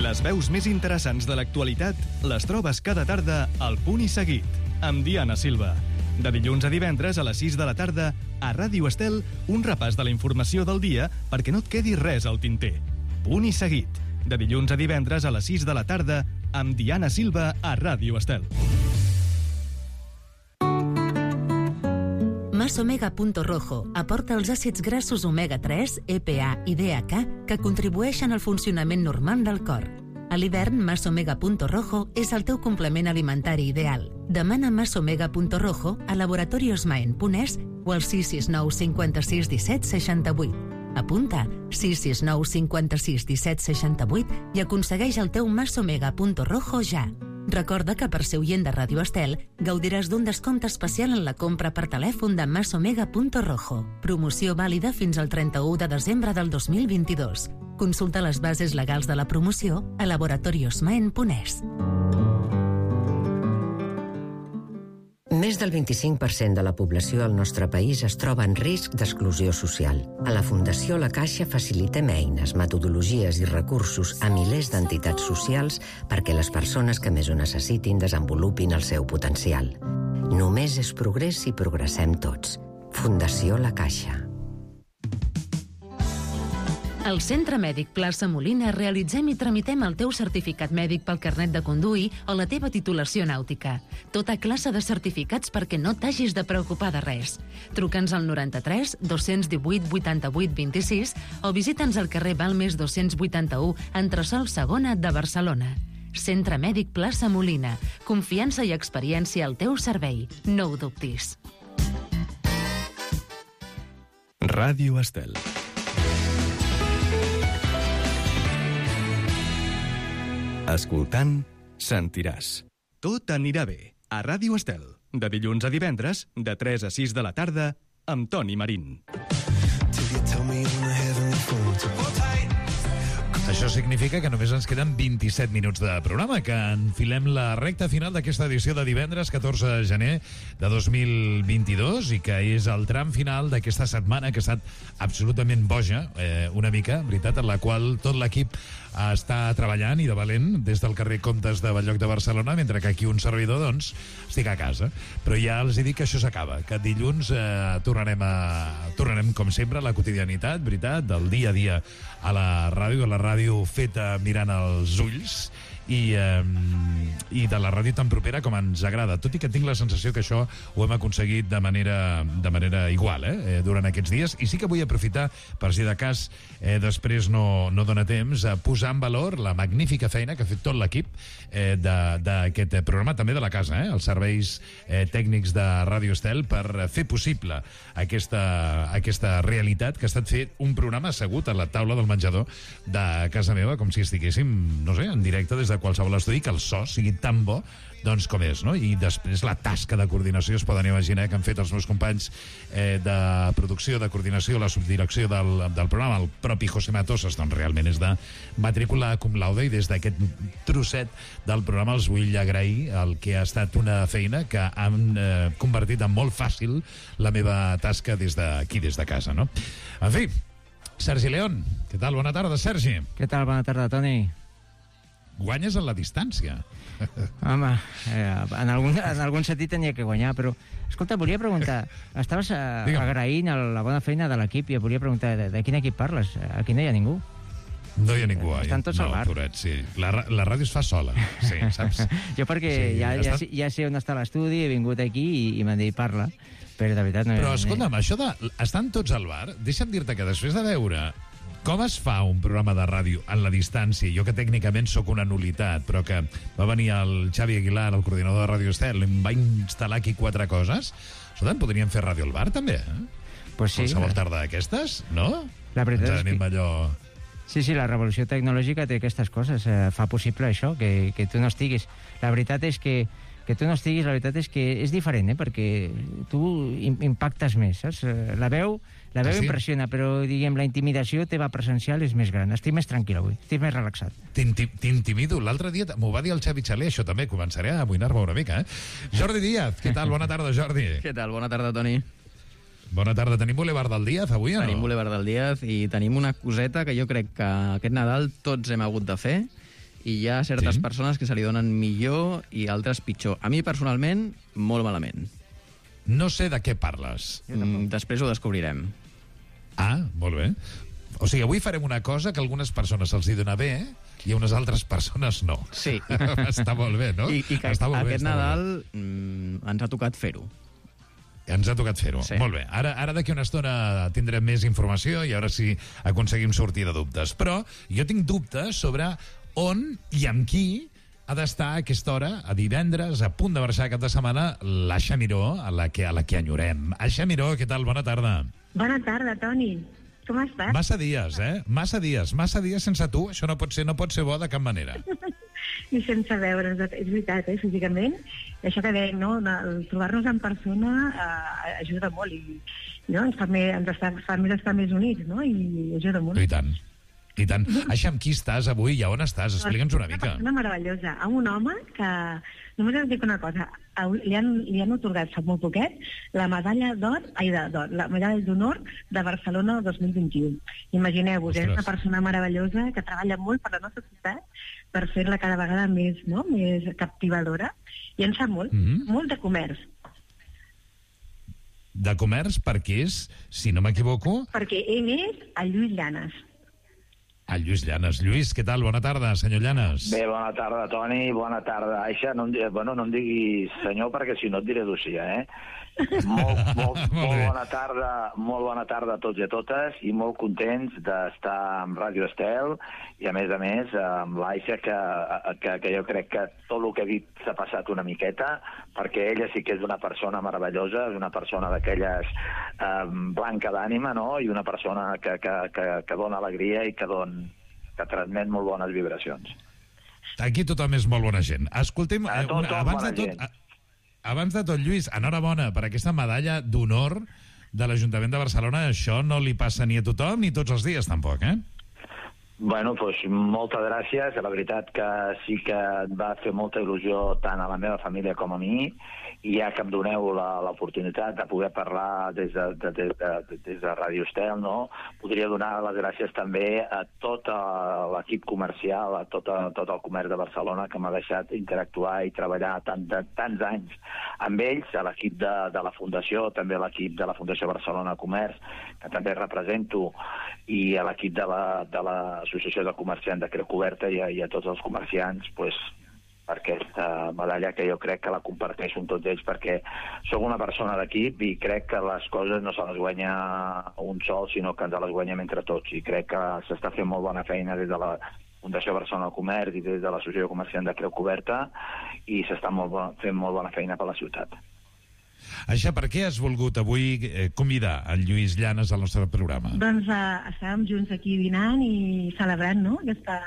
Les veus més interessants de l'actualitat les trobes cada tarda al Punt i Seguit, amb Diana Silva. De dilluns a divendres a les 6 de la tarda, a Ràdio Estel, un repàs de la informació del dia perquè no et quedi res al tinter. Punt i Seguit. De dilluns a divendres a les 6 de la tarda, amb Diana Silva a Ràdio Estel. Masomega.rojo aporta els àcids grassos omega-3, EPA i DHA que contribueixen al funcionament normal del cor. A l'hivern, Masomega.rojo és el teu complement alimentari ideal. Demana Masomega.rojo a laboratoriosmaen.es o al 669 56 17 68. Apunta 669 56 17 68 i aconsegueix el teu Masomega.rojo ja. Recorda que per ser oient de Ràdio Estel gaudiràs d'un descompte especial en la compra per telèfon de Masomega.rojo. Promoció vàlida fins al 31 de desembre del 2022. Consulta les bases legals de la promoció a laboratoriosmaen.es. Més del 25% de la població del nostre país es troba en risc d'exclusió social. A la Fundació La Caixa facilitem eines, metodologies i recursos a milers d'entitats socials perquè les persones que més ho necessitin desenvolupin el seu potencial. Només és progrés si progressem tots. Fundació La Caixa. Al Centre Mèdic Plaça Molina realitzem i tramitem el teu certificat mèdic pel carnet de conduir o la teva titulació nàutica. Tota classe de certificats perquè no t'hagis de preocupar de res. Truca'ns al 93 218 88 26 o visita'ns al carrer Balmes 281, entresòl Segona de Barcelona. Centre Mèdic Plaça Molina. Confiança i experiència al teu servei. No ho dubtis. Ràdio Estel. Escoltant, sentiràs. Tot anirà bé. A Ràdio Estel. De dilluns a divendres, de 3 a 6 de la tarda, amb Toni Marín. Això significa que només ens queden 27 minuts de programa, que enfilem la recta final d'aquesta edició de divendres 14 de gener de 2022 i que és el tram final d'aquesta setmana que ha estat absolutament boja, una mica, veritat, en la qual tot l'equip està treballant i de valent des del carrer Comtes de Bell-lloc de Barcelona, mentre que aquí un servidor, doncs, estic a casa. Però ja els he dit que això s'acaba, que dilluns tornarem, com sempre, a la quotidianitat, veritat, del dia a dia a la ràdio feta mirant als ulls i de la ràdio tan propera com ens agrada, tot i que tinc la sensació que això ho hem aconseguit de manera igual durant aquests dies, i sí que vull aprofitar per si de cas després no dona temps a posar en valor la magnífica feina que ha fet tot l'equip d'aquest programa, també de la casa, els serveis tècnics de Ràdio Estel, per fer possible aquesta realitat que ha estat fer un programa assegut a la taula del menjador de casa meva, com si estiguéssim, no sé, en directe des de qualsevol estudi, que el so sigui tan bo doncs com és, no? I després la tasca de coordinació, es poden imaginar que han fet els meus companys de producció, de coordinació, la subdirecció del programa, el propi José Matosas, doncs realment és de matrícula cum laude, i des d'aquest trosset del programa els vull agrair el que ha estat una feina que han convertit en molt fàcil la meva tasca des d'aquí, des de casa, no? En fi, Sergi León, què tal? Bona tarda, Sergi. Què tal? Bona tarda, Toni. Guanyes en la distància. Home, en algun sentit tenia que guanyar, però... Escolta, volia preguntar, estaves agraint la bona feina de l'equip i volia preguntar, de quin equip parles? Aquí no hi ha ningú. No hi ha ningú, estan tots al bar. Poret, sí. La ràdio es fa sola, sí, saps? Jo perquè ja sé on està l'estudi, he vingut aquí i m'han dit parla, però de veritat no... Però escolta'm, això de... Estan tots al bar? Deixa'm dir-te que després de veure com es fa un programa de ràdio en la distància, jo que tècnicament sóc una nul·litat, però que va venir el Xavi Aguilar, el coordinador de Ràdio Estel, em va instal·lar aquí 4 coses. Escolta, podríem fer ràdio al bar, també, Pues sí. Qualsevol tarda d'aquestes, no? La veritat és que... allò... Sí, la revolució tecnològica té aquestes coses, fa possible això, que tu no estiguis. La veritat és que tu no estiguis, la veritat és que és diferent, perquè tu impactes més, saps? La veu sí? Impressiona, però, diguem, la intimidació teva presencial és més gran. Estic més tranquil avui, estic més relaxat. T'intimido. L'altre dia m'ho va dir el Xavi Xaler, això també, començaré a amoïnar-me una mica, Jordi Díaz, què tal? Bona tarda, Jordi. Què tal? Bona tarda, Toni. Bona tarda. Tenim Boulevard del Díaz avui, o no? Tenim Boulevard del Díaz i tenim una coseta que jo crec que aquest Nadal tots hem hagut de fer, i hi ha certes persones que se li donen millor i altres pitjor. A mi, personalment, molt malament. No sé de què parles. Després ho descobrirem. Ah, molt bé. O sigui, avui farem una cosa que a algunes persones se'ls hi dona bé i a unes altres persones no. Sí. Està molt bé, no? I que aquest Nadal ens ha tocat fer-ho. Ens ha tocat fer-ho. Sí. Molt bé. Ara d'aquí una estona tindrem més informació i ara sí aconseguim sortir de dubtes. Però jo tinc dubtes sobre on i amb qui ha d'estar a aquesta hora, a divendres, a punt de marxar cap de setmana, l'Aixa Miró, a la que enyorem. Aixa Miró, què tal? Bona tarda. Bona tarda, Toni. Com estàs? Massa dies, Massa dies sense tu. Això no pot ser bo de cap manera. I sense veure's, és veritat, físicament. Això que dèiem, no? Trobar-nos en persona ajuda molt i ens fa més estar més units, no? I ajuda molt. I tant. Aixa, amb qui estàs avui i on estàs? Explica'ns una mica. Una persona meravellosa. Amb un home que, només us dic una cosa, li han otorgat fa molt poquet la medalla la medalla d'honor de Barcelona 2021. Imagineu-vos, és una persona meravellosa que treballa molt per la nostra ciutat per fer-la cada vegada més captivadora, i en sap molt, molt de comerç. De comerç perquè és, si no m'equivoco... Perquè ell és el Lluís Llanes. El Lluís Llanes. Lluís, què tal? Bona tarda, senyor Llanes. Bé, bona tarda, Toni, bona tarda. Aixa, no em diguis senyor, perquè si no et diré Lucía, molt bona tarda a tots i a totes, i molt contents d'estar amb Ràdio Estel, i a més amb l'Aixa, que jo crec que tot el que he dit s'ha passat una miqueta, perquè ella sí que és una persona meravellosa, és una persona d'aquelles blanca d'ànima, no? I una persona que dona alegria i que transmet molt bones vibracions. Aquí tothom és molt bona gent. Escoltem, abans de tot, Lluís, enhorabona per aquesta medalla d'honor de l'Ajuntament de Barcelona. Això no li passa ni a tothom ni tots els dies, tampoc, Bueno, doncs moltes gràcies. La veritat que sí que va fer molta il·lusió tant a la meva família com a mi, i ja que em doneu l'oportunitat de poder parlar des de Ràdio Estel, no? Podria donar les gràcies també a tot l'equip comercial, a tot el comerç de Barcelona, que m'ha deixat interactuar i treballar tants anys amb ells, a l'equip de la Fundació, també a l'equip de la Fundació Barcelona Comerç, que també represento, i a l'equip de l'Associació de Comerciants de Creu Coberta, i a tots els comerciants, per aquesta medalla, que jo crec que la comparteixo amb tots ells, perquè sóc una persona d'equip i crec que les coses no se les guanya un sol, sinó que ens les guanyem entre tots, i crec que s'està fent molt bona feina des de la Fundació Barcelona Comerç i des de l'Associació de Comerciants de Creu Coberta, i s'està fent molt bona feina per la ciutat. Aixa, per què has volgut avui convidar en Lluís Llanes al nostre programa? Doncs estàvem junts aquí dinant i celebrant, no?, aquesta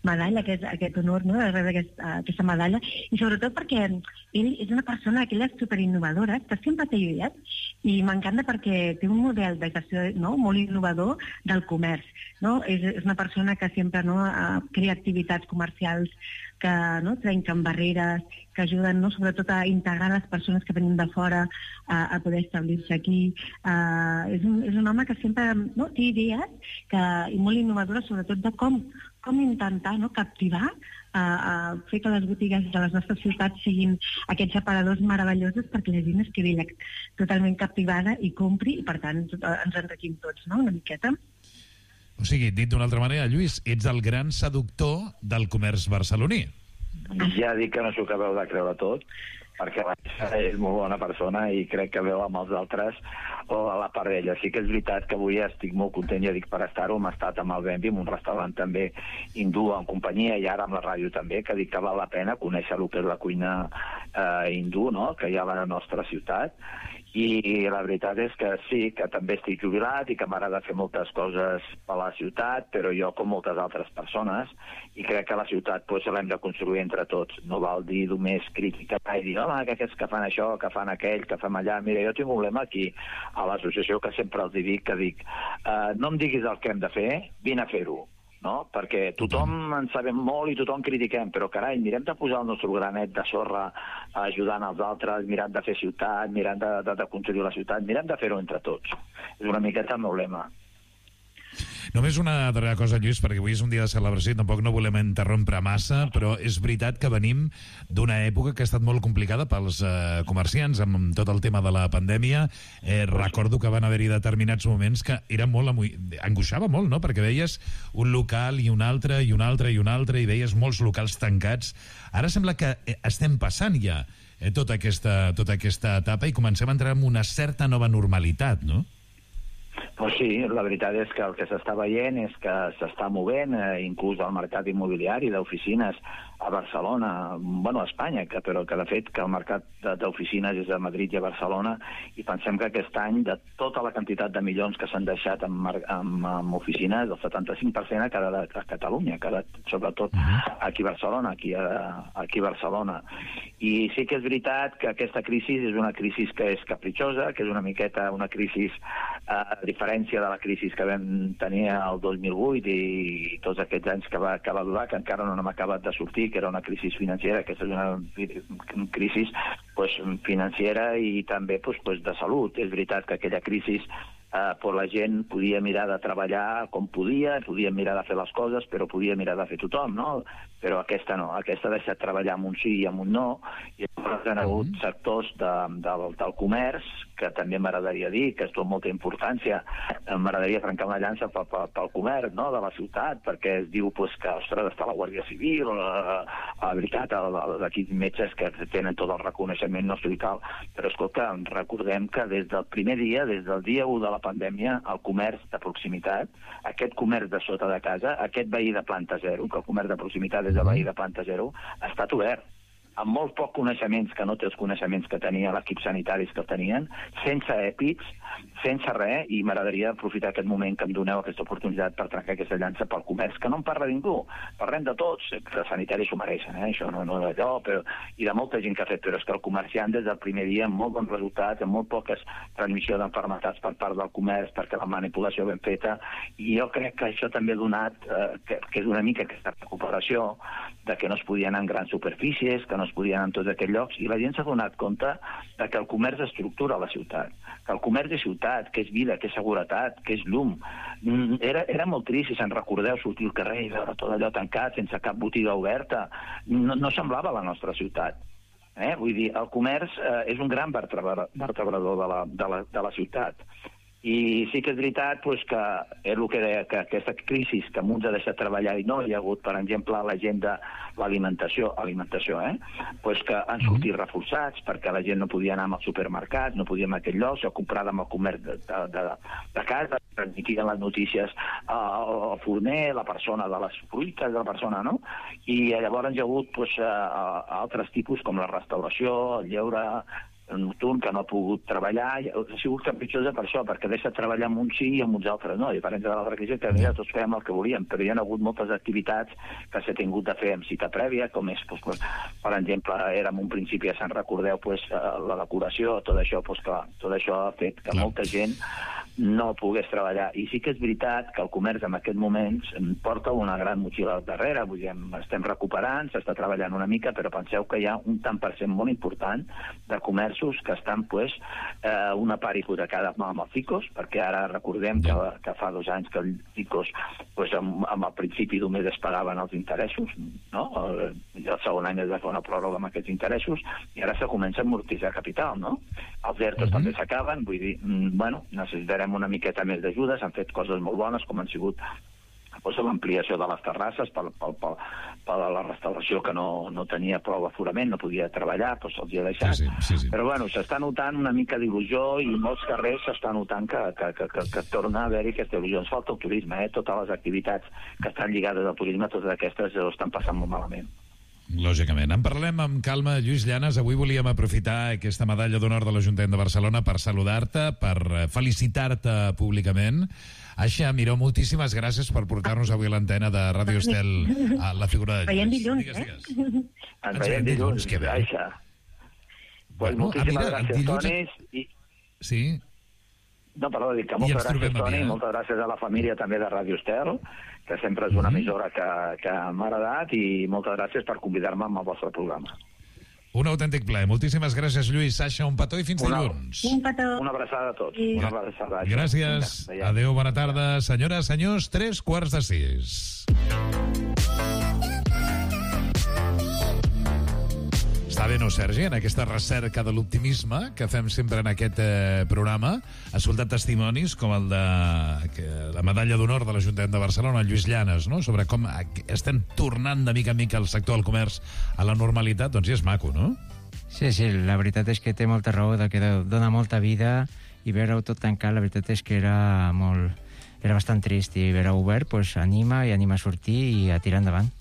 medalla, aquest honor, no?, de rebre aquesta medalla, i sobretot perquè ell és una persona que és superinnovadora, que sempre té idees, i m'encanta perquè té un model de gestió, no?, molt innovador del comerç, no? És una persona que sempre, no?, crea activitats comercials que, no?, trenquen barreres, que ajuden, no?, sobretot a integrar les persones que venen de fora a poder establir-se aquí. És un home que sempre, no?, té idees i molt innovadores, sobretot de com intentar, no?, captivar, fer que les botigues de les nostres ciutats siguin aquests aparadors meravellosos perquè la gent es quedi totalment captivada i compri, i per tant ens enriquim tots, no?, una miqueta. O sigui, dit d'una altra manera, Lluís, ets el gran seductor del comerç barceloní. Ja dic que no s'ho acabeu de creure tot, perquè és molt bona persona i crec que veu amb els altres o a la part d'ella. Sí que és veritat que avui estic molt content, ja dic, per estar-ho. Hem estat amb el Benvi, en un restaurant també hindú en companyia, i ara amb la ràdio també, que dic que val la pena conèixer el que és la cuina hindú, no?, que hi ha a la nostra ciutat. I la veritat és que sí, que també estic jubilat i que m'agrada fer moltes coses a la ciutat, però jo, com moltes altres persones, i crec que la ciutat l'hem de construir entre tots. No val dir només criticar i dir, home, que aquests que fan això, que fan aquell, que fan allà. Mira, jo tinc un lema aquí a l'associació que sempre els dic, no em diguis el que hem de fer, vine a fer-ho. No? Perquè tothom en sabem molt i tothom critiquem, però carai, mirem de posar el nostre granet de sorra ajudant els altres, mirem de fer ciutat, mirem de construir la ciutat, mirem de fer-ho entre tots. És una miqueta el meu lema. Només una darrera cosa, Lluís, perquè avui és un dia de celebració i tampoc no volem interrompre massa, però és veritat que venim d'una època que ha estat molt complicada pels comerciants amb tot el tema de la pandèmia. Recordo que van haver-hi determinats moments que era molt angoixava molt, no?, perquè veies un local i un altre i un altre i un altre i veies molts locals tancats. Ara sembla que estem passant ja tota aquesta etapa i comencem a entrar en una certa nova normalitat, no? Pues sí, la veritat és que el que s'està veient és que s'està movent, inclús el mercat immobiliari d'oficines a Barcelona, bueno, a Espanya, però que de fet que el mercat d'oficines és a Madrid i a Barcelona, i pensem que aquest any, de tota la quantitat de milions que s'han deixat en oficines, el 75% ha quedat a Catalunya, ha quedat sobretot aquí a Barcelona, aquí a Barcelona. I sí que és veritat que aquesta crisi és una crisi que és capritxosa, que és una miqueta una crisi a diferència de la crisi que vam tenir el 2008 i tots aquests anys que va durar, que encara no hem acabat de sortir, que era una crisi financera. Aquesta és una crisi financera i també de salut. És veritat que aquella crisi la gent podia mirar de treballar com podia mirar de fer les coses, però podia mirar de fer tothom, no? Però aquesta no, aquesta ha deixat treballar amb un sí i amb un no, i llavors hi ha hagut sectors del comerç que també m'agradaria dir, que és tot molta importància. M'agradaria trencar una llança pel comerç, no?, de la ciutat, perquè es diu que, ostres, està la Guàrdia Civil, la veritat, aquí metges que tenen tot el reconeixement nostre i tal, però escolta, recordem que des del primer dia, des del dia 1 de la pandèmia, el comerç de proximitat, aquest comerç de sota de casa, aquest veí de planta zero, que el comerç de proximitat és el veí de planta zero, ha estat obert, amb molt poc coneixements, que no té els coneixements que tenia l'equip sanitaris que el tenien, sense èpics, sense res, i m'agradaria aprofitar aquest moment que em doneu aquesta oportunitat per trencar aquesta llança pel comerç, que no en parla ningú, parlem de tots, que els sanitaris s'ho mereixen, això no és allò, i de molta gent que ha fet, però és que el comerciant des del primer dia, amb molt bons resultats, amb molt poques transmissió d'enfermetats per part del comerç, perquè la manipulació ben feta, i jo crec que això també ha donat, que és una mica aquesta recuperació, de que no es podien anar en grans superfícies, que no es podien anar en tots aquests llocs, i la gent s'ha donat compte de que el comerç estructura la ciutat, que el comerç és ciutat, que és vida, que és seguretat, que és llum. Era molt trist, si se'n recordeu, sortir al carrer i veure tot allò tancat, sense cap botiga oberta. No semblava la nostra ciutat. Vull dir, el comerç és un gran vertebrador de la ciutat. I sí que és veritat que és el que deia, que aquesta crisi que uns ha deixat treballar i no hi ha hagut, per exemple, la gent de l'alimentació, que han sortit reforçats perquè la gent no podia anar als supermercats, no podia anar a aquell lloc, s'ho comprava amb el comerç de casa, transmetien les notícies al forner, la persona de les fruites de la persona, no? I llavors hi ha hagut altres tipus com la restauració, el lleure, nocturn, que no ha pogut treballar, ha sigut capritxosa per això, perquè deixa treballar amb uns sí i amb uns altres no, i per exemple de l'altra crisi que mira, tots fèiem el que volíem, però hi ha hagut moltes activitats que s'ha tingut de fer amb cita prèvia, com és, per exemple, era en un principi, ja se'n recordeu, la decoració, tot això, clar, tot això ha fet que molta gent no pogués treballar. I sí que és veritat que el comerç en aquest moment porta una gran motxilla al darrere, vull dir, estem recuperant, s'està treballant una mica, però penseu que hi ha un tant per cent molt important de comerços que estan, una part hipotecada amb els ICOs, perquè ara recordem que fa 2 anys que els ICOs, amb el principi només es pagaven els interessos, no? El segon any es va fer una pròrroga amb aquests interessos, i ara se comença a amortitzar capital, no? Els ERTOs també s'acaben, vull dir, necessitarem una miqueta més d'ajuda, s'han fet coses molt bones, com han sigut l'ampliació de les terrasses per la restauració que no tenia prou aforament, no podia treballar, se'ls ha deixat. Sí. Però s'està notant una mica d'il·lusió i molts carrers s'està notant que torna a haver-hi aquesta il·lusió. Ens falta el turisme, totes les activitats que estan lligades al turisme, totes aquestes estan passant molt malament. Lògicament. En parlem amb calma. Lluís Llanes, avui volíem aprofitar aquesta medalla d'honor de l'Ajuntament de Barcelona per saludar-te, per felicitar-te públicament. Aixa Miró, moltíssimes gràcies per portar-nos avui a l'antena de Ràdio Estel a la figura de Lluís. Veiem dilluns, Ens veiem dilluns, Aixa. Moltíssimes gràcies, Toni. Sí? No, perdó, dic que moltes gràcies, Toni, i moltes gràcies a la família també de Ràdio Estel, que sempre és una emissora que m'ha agradat, i moltes gràcies per convidar-me al vostre programa. Un autèntic plaer. Moltíssimes gràcies, Lluís. Sasha, un petó i fins dilluns. Un petó. Una abraçada a tots. Una abraçada. Gràcies. Adéu, bona tarda. Senyores, senyors, 5:45. Està bé, no, Sergi, en aquesta recerca de l'optimisme que fem sempre en aquest programa, escoltat testimonis com el de la medalla d'honor de l'Ajuntament de Barcelona, Lluís Llanes, no?, sobre com estem tornant de mica en mica el sector del comerç a la normalitat. Doncs ja és maco, no? Sí, la veritat és que té molta raó, que dona molta vida, i veure-ho tot tancat, la veritat és que era bastant trist, i veure-ho obert anima a sortir i a tirar endavant.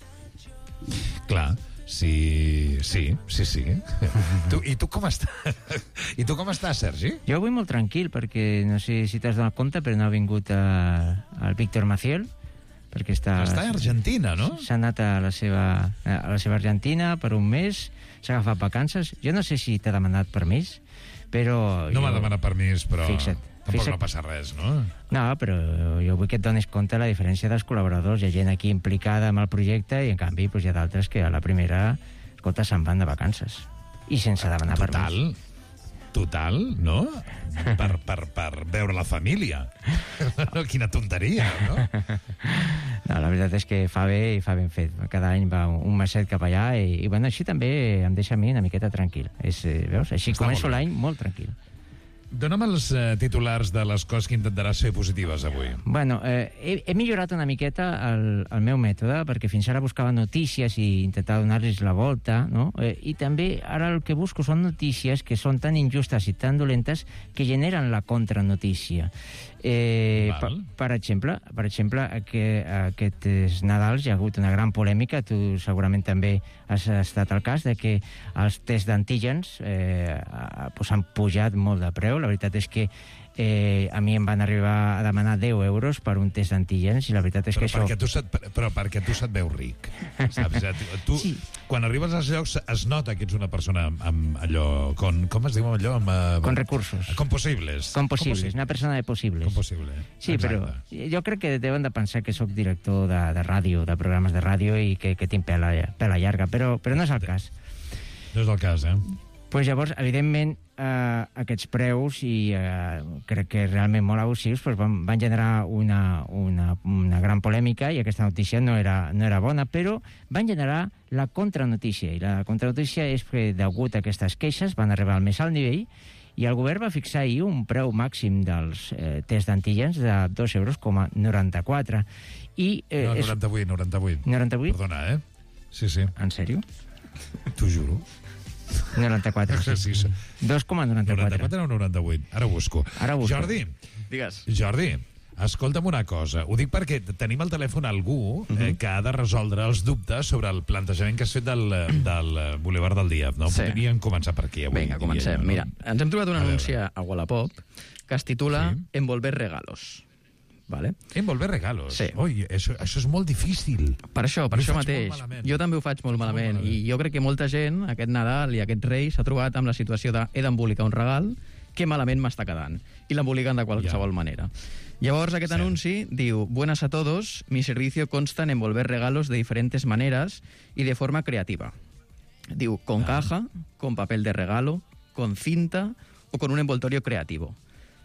Clar. Sí. I tu com estàs? I tu com estàs, Sergi? Jo avui molt tranquil, perquè no sé si t'has donat compte, però no ha vingut el Víctor Maciel, perquè està a Argentina, no? S'ha anat a la seva Argentina per un mes, s'ha agafat vacances. Jo no sé si t'ha demanat permís, però... No m'ha demanat permís, però... Fixa't. Tampoc no passa res, no? No, però jo vull que et donis compte de la diferència dels col·laboradors. Hi ha gent aquí implicada amb el projecte i, en canvi, hi ha d'altres que a la primera, escolta, se'n van de vacances. I sense demanar permís. Total, no? Per veure la família. Quina tonteria, no? No, la veritat és que fa bé i fa ben fet. Cada any va un meset cap allà i bueno, així també em deixa a mi una miqueta tranquil. Veus? Així començo l'any molt tranquil. Dóna'm els titulars de les coses que intentaràs fer positives avui. Bueno, he millorat una miqueta el meu mètode, perquè fins ara buscava notícies i intentava donar-los la volta, no? I també ara el que busco són notícies que són tan injustes i tan dolentes que generen la contranotícia. Per exemple, aquests Nadals hi ha hagut una gran polèmica, tu segurament també has estat al cas, de que els tests d'antígens han pujat molt de preu. La veritat és que a mi em van arribar a demanar 10 euros per un test d'antígens i la veritat és que això... Però perquè tu se't veus ric, saps? Tu, sí. Quan arribes als llocs es nota que ets una persona amb allò... Com es diu allò? Con recursos. Com possibles. Una persona de possibles. Com possible. Sí, exacte. Però jo crec que deuen de pensar que sóc director de ràdio, de programes de ràdio i que tinc pela llarga, però no és el cas. No és el cas, Pues llavors, evidentment, aquests preus, i crec que realment molt abusius, van generar una gran polèmica, i aquesta notícia no era bona, però van generar la contranotícia. I la contranotícia és que, degut a aquestes queixes, van arribar al més alt nivell, i el govern va fixar ahir un preu màxim dels tests d'antígens de 2,94 €. No, 98. 98? Perdona, Sí. En sèrio? T'ho juro. 94, sí. 2,94. 94 o 98? Ara busco. Digues. Jordi, escolta'm una cosa. Ho dic perquè tenim al telèfon algú que ha de resoldre els dubtes sobre el plantejament que has fet del Boulevard del Díaz, no? Sí. Podríem començar per aquí avui. Vinga, comencem. Mira, ens hem trobat un anunci a Wallapop que es titula Envolver regalos. Vale? Envolver regalos? Sí. Ui, això és molt difícil. Per això mateix. Jo també ho faig molt malament. I jo crec que molta gent, aquest Nadal i aquest Rei, s'ha trobat amb la situació de he d'embolicar un regal, que malament m'està quedant. I l'emboliquen de qualsevol manera. Llavors aquest anunci diu: Buenas a todos, mi servicio consta en envolver regalos de diferentes maneras y de forma creativa. Diu, con caja, con papel de regalo, con cinta o con un envoltorio creativo.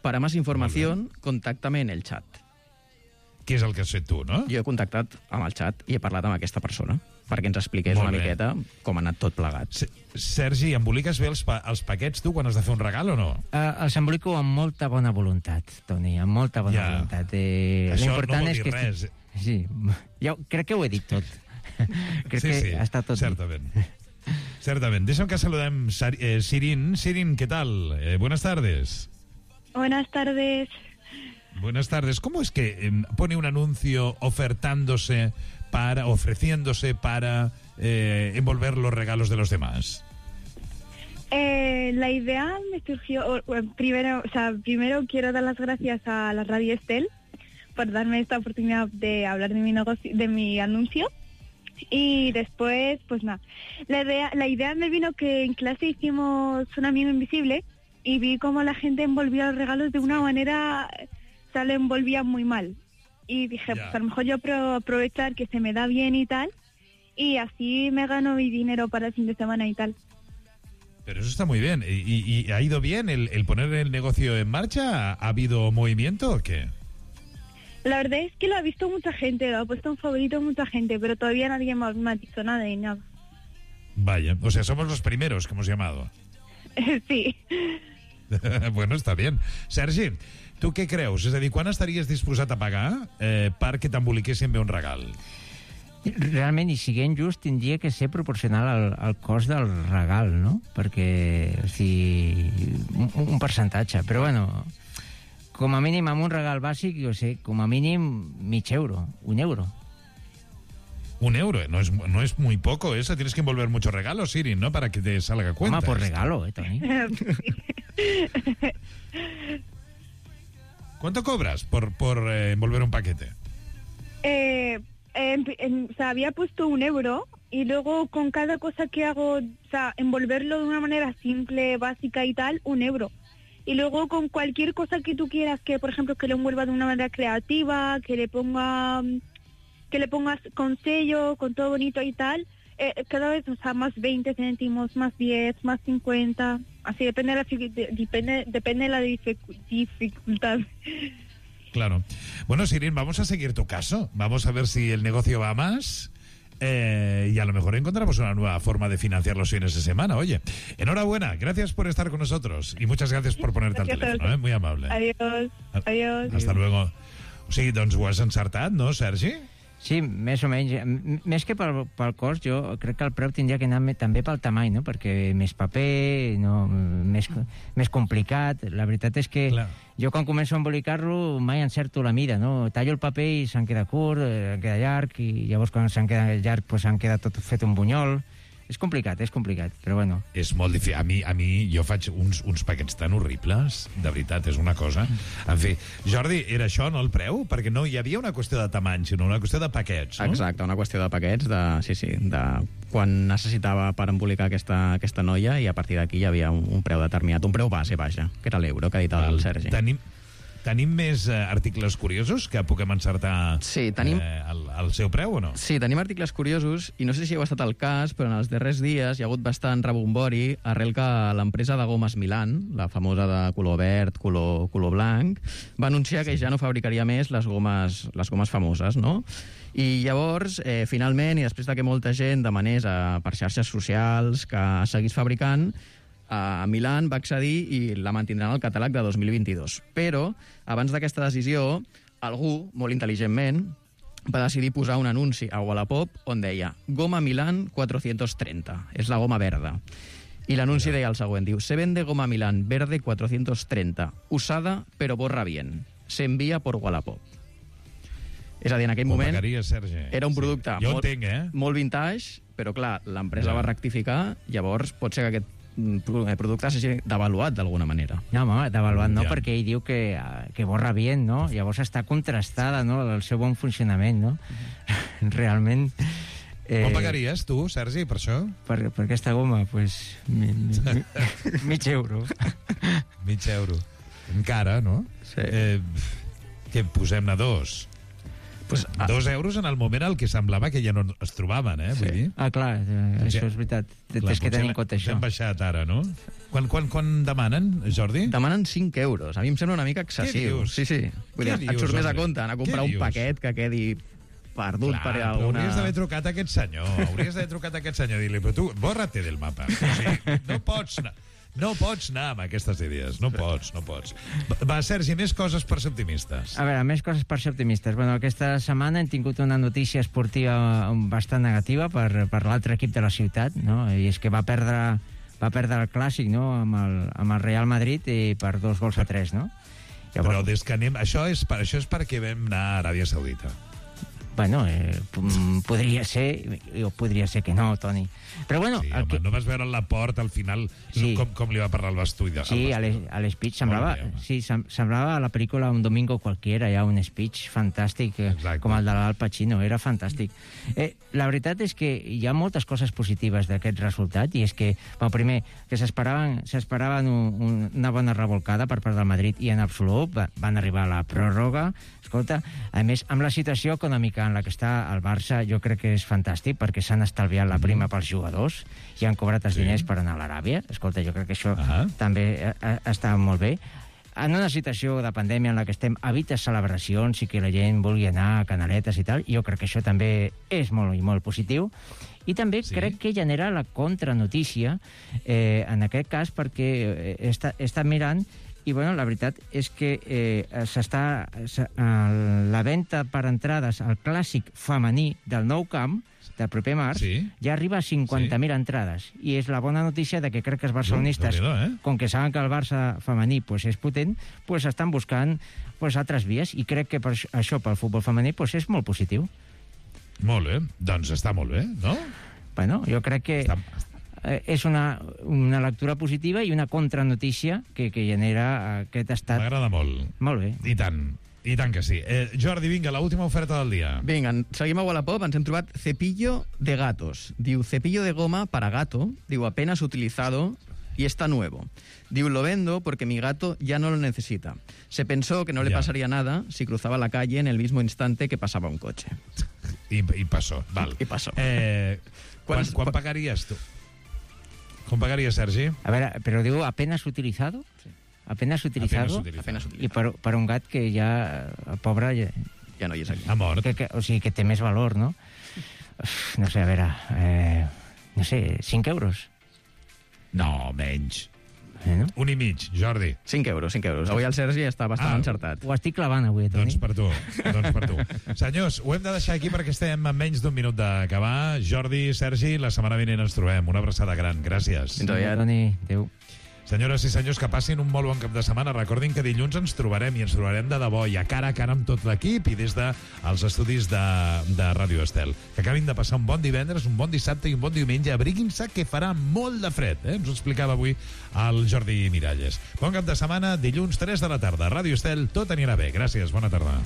Para más información, contáctame en el chat. Què és el que has fet tu, no? Jo he contactat amb el xat i he parlat amb aquesta persona perquè ens expliqués una miqueta com ha anat tot plegat. Sergi, emboliques bé els paquets tu quan has de fer un regal o no? Els embolico amb molta bona voluntat, Toni, amb molta bona voluntat. Això no vol dir res. Sí, jo crec que ho he dit tot. Crec que ha estat tot certament. Certament. Deixa'm que saludem Sirin. Sirin, ¿qué tal? Buenas tardes. Buenas tardes. Buenas tardes. ¿Cómo es que pone un anuncio ofreciéndose para envolver los regalos de los demás? La idea me surgió, primero quiero dar las gracias a la Radio Estel por darme esta oportunidad de hablar de mi negocio, de mi anuncio. Y después, pues nada, la idea me vino que en clase hicimos un amigo invisible y vi cómo la gente envolvía los regalos de una manera, lo envolvía muy mal. Y dije, pues a lo mejor yo puedo aprovechar que se me da bien y tal, y así me gano mi dinero para el fin de semana y tal. Pero eso está muy bien. ¿Y ha ido bien el poner el negocio en marcha? ¿Ha habido movimiento o qué? La verdad es que lo ha visto mucha gente, lo ha puesto en favorito mucha gente, pero todavía nadie me ha dicho nada de nada. Vaya, o sea, somos los primeros que hemos llamado. Sí. Bueno, està bien. Sergi, tu què creus? És a dir, quan estaries disposat a pagar perquè t'emboliquessin bé un regal? Realment, i siguent just, tindria que ser proporcional al cost del regal, no? Perquè, o sigui, un percentatge. Però, bueno, com a mínim, amb un regal bàsic, jo sé, com a mínim mig euro, un euro. Un euro, no es muy poco eso. Tienes que envolver muchos regalos, Siri, ¿no? Para que te salga cuenta. Por regalo, Toni. ¿Cuánto cobras por envolver un paquete? Había puesto 1 euro y luego con cada cosa que hago, envolverlo de una manera simple, básica y tal, 1 euro. Y luego con cualquier cosa que tú quieras, que por ejemplo que lo envuelva de una manera creativa, que le pongas con sello, con todo bonito y tal, cada vez, más 20 céntimos, más 10, más 50, así depende de la dificultad. Claro. Bueno, Sirin, vamos a seguir tu caso. Vamos a ver si el negocio va más y a lo mejor encontramos una nueva forma de financiar los fines de semana. Oye, enhorabuena. Gracias por estar con nosotros y muchas gracias por ponerte al teléfono. Muy amable. Adiós. Hasta luego. O sigui, doncs ho has encertat, no, Sergi? Sí, més o menys. Més que pel cost, jo crec que el preu tindria que anar també pel tamany, no? Perquè més paper, més complicat. La veritat és que jo quan començo a embolicar-lo mai encerto la mida, no? Tallo el paper i se'n queda curt, queda llarg, i llavors quan se'n queda llarg pues se'n queda tot fet un bunyol. És complicat, però bueno. És molt difícil. A mi jo faig uns paquets tan horribles, de veritat, és una cosa. En fi, Jordi, era això, no, el preu? Perquè no hi havia una qüestió de tamany, sinó una qüestió de paquets, no? Exacte, una qüestió de paquets, de quan necessitava per embolicar aquesta noia, i a partir d'aquí hi havia un preu determinat, un preu base, vaja, que era l'euro, que ha dit el Sergi. Tenim més articles curiosos que puguem encertar el seu preu o no? Sí, tenim articles curiosos i no sé si heu estat al cas, però en els darrers dies hi ha hagut bastant rebombori arrel que l'empresa de gomes Milan, la famosa de color verd, color blanc, va anunciar que ja no fabricaria més les gomes famoses, no? I llavors, finalment, i després que molta gent demanés per xarxes socials que seguís fabricant, a Milan va accedir i la mantindran al catàleg de 2022. Però, abans d'aquesta decisió, algú, molt intel·ligentment, va decidir posar un anunci a Wallapop on deia Goma Milan 430, és la goma verda. I l'anunci deia el següent, diu: se vende goma Milan verde 430, usada pero borra bien. s'envia por Wallapop. És a dir, en aquell moment Sergi. era un producte molt vintage, però clar, l'empresa va rectificar, llavors pot ser que aquest producte s'hagi devaluat d'alguna manera. No, home, devaluat no, perquè ell diu que borra bien, no? Llavors està contrastada, no?, el seu bon funcionament, no? Realment... Com pagaries tu, Sergi, per això? Per aquesta goma, doncs... mig euro. Mig euro. Encara, no? Sí. Que posem-ne 2. Pues, 2 euros en el moment en què semblava que ja no es trobaven, vull dir. Ah, clar, això és veritat. Tens que tenir en compte això. Hem baixat ara, no? Quan demanen, Jordi? Demanen 5 euros. A mi em sembla una mica excessiu. Què dius? Sí. Vull dir, et surt més a compte anar a comprar un paquet que quedi perdut per alguna... Hauries d'haver trucat a aquest senyor. I dir-li, però tu, borra-te del mapa. O sigui, no pots anar amb aquestes idees. No pots. Va, Sergi, més coses per ser optimistes. A veure, més coses per ser optimistes. Bueno, aquesta setmana hem tingut una notícia esportiva bastant negativa per l'altre equip de la ciutat, no? I és que va perdre el Clàssic, no?, amb el Real Madrid per 2-3, no? Llavors... Però des que anem... Això és perquè vam anar a Aràbia Saudita. Bueno, podria ser, o podria ser que no, Toni. Però bueno... Sí, home, no vas veure la porta al final, sí. com li va parlar el Bastuida. Sí, a l'speech semblava a la pel·lícula Un domingo cualquiera, hi ha un speech fantàstic, com el de l'Al Pacino, era fantàstic. La veritat és que hi ha moltes coses positives d'aquest resultat, i és que, primer, que s'esperaven una bona revolcada per part del Madrid, i en absolut van arribar a la pròrroga. Escolta, a més, amb la situació econòmica en la que està el Barça, jo crec que és fantàstic, perquè s'han estalviat la prima pels jugadors i han cobrat els diners per anar a l'Aràbia. Escolta, jo crec que això també està molt bé. En una situació de pandèmia en la que estem, evites celebracions i que la gent vulgui anar a canaletes i tal, jo crec que això també és molt i molt positiu. I també crec que genera la contranotícia, en aquest cas, perquè està mirant. I, bueno, la veritat és que la venda per entrades al Clàssic femení del Nou Camp, del proper març, ja arriba a 50.000 entrades. I és la bona notícia de que crec que els barcelonistes, com que saben que el Barça femení és potent, estan buscant altres vies. I crec que això pel futbol femení és molt positiu. Molt bé. Doncs està molt bé, no? Bueno, jo crec que... és una lectura positiva i una contranotícia que genera aquest estat... M'agrada molt. Molt bé. I tant que sí. Jordi, vinga, l'última oferta del dia. Vinga, seguim a Wallapop, ens hem trobat cepillo de gatos. Diu, cepillo de goma para gato, diu, apenas utilizado y está nuevo. Diu, lo vendo porque mi gato ya no lo necesita. Se pensó que no le pasaría nada si cruzaba la calle en el mismo instante que pasaba un coche. I passó, val. I passó. Quan pagaries tu? Com pagaria, Sergi? A veure, però diu apenas utilizado? Sí. Apenas utilizado? I per un gat que ja, el pobre... Ja no hi és aquí. Ha mort. O sigui, que té més valor, no? No sé, a veure... no sé, 5 euros? No, menys. No? 1,5, Jordi. 5 euros. Avui el Sergi està bastant encertat. Ho estic clavant avui, Toni. Doncs per tu. Senyors, ho hem de deixar aquí perquè estem a menys d'un minut d'acabar. Jordi, Sergi, la setmana vinent ens trobem. Una abraçada gran. Gràcies. Fins aviat. Toni, adéu. Senyores i senyors, que passin un molt bon cap de setmana. Recordin que dilluns ens trobarem, i ens trobarem de debò, i a cara amb tot l'equip, i des dels estudis de Ràdio Estel. Que acabin de passar un bon divendres, un bon dissabte i un bon diumenge. Abriguin-se, que farà molt de fred. Ens ho explicava avui el Jordi Miralles. Bon cap de setmana, dilluns 3 de la tarda. Ràdio Estel, tot anirà bé. Gràcies, bona tarda.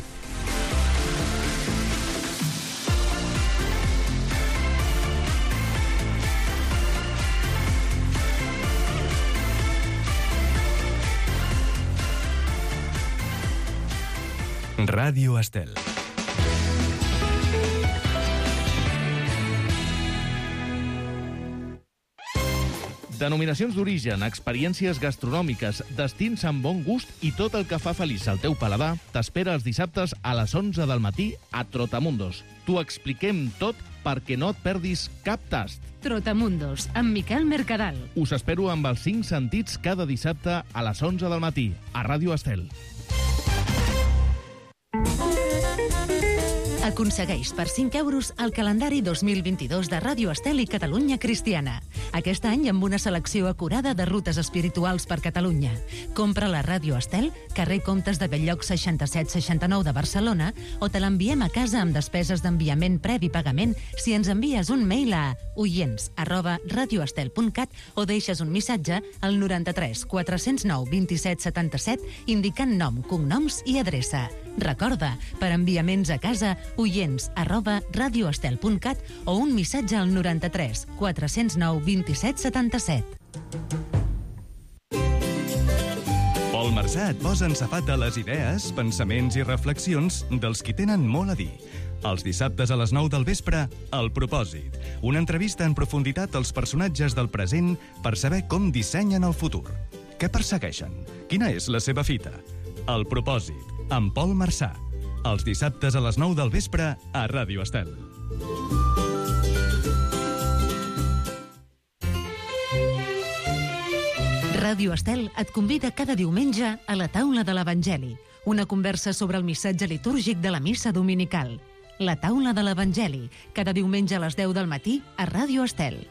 Ràdio Estel. Denominacions d'origen, experiències gastronòmiques, destins amb bon gust i tot el que fa feliç el teu paladar t'espera els dissabtes a les 11 del matí a Trotamundos. T'ho expliquem tot perquè no et perdis cap tast. Trotamundos, amb Miquel Mercadal. Us espero amb els 5 sentits cada dissabte a les 11 del matí a Ràdio Estel. Aconsegueix per 5 euros el calendari 2022 de Ràdio Estel i Catalunya Cristiana. Aquest any amb una selecció acurada de rutes espirituals per Catalunya. Compra la Ràdio Estel, carrer Comtes de Belllloc 6769 de Barcelona, o te l'enviem a casa amb despeses d'enviament previ pagament si ens envies un mail a oients@radioestel.cat o deixes un missatge al 93 409 27 77 indicant nom, cognoms i adreça. Recorda, per enviaments a casa, oients@radioestel.cat o un missatge al 93 409 27 77. Pol Marsà et posa en safata les idees, pensaments i reflexions dels qui tenen molt a dir. Els dissabtes a les 9 del vespre, El Propòsit. Una entrevista en profunditat als personatges del present per saber com dissenyen el futur. Què persegueixen? Quina és la seva fita? El Propòsit, amb Pol Marsà. Els dissabtes a les 9 del vespre a Ràdio Estel. Ràdio Estel et convida cada diumenge a la taula de l'Evangeli, una conversa sobre el missatge litúrgic de la missa dominical. La taula de l'Evangeli, cada diumenge a les 10 del matí a Ràdio Estel.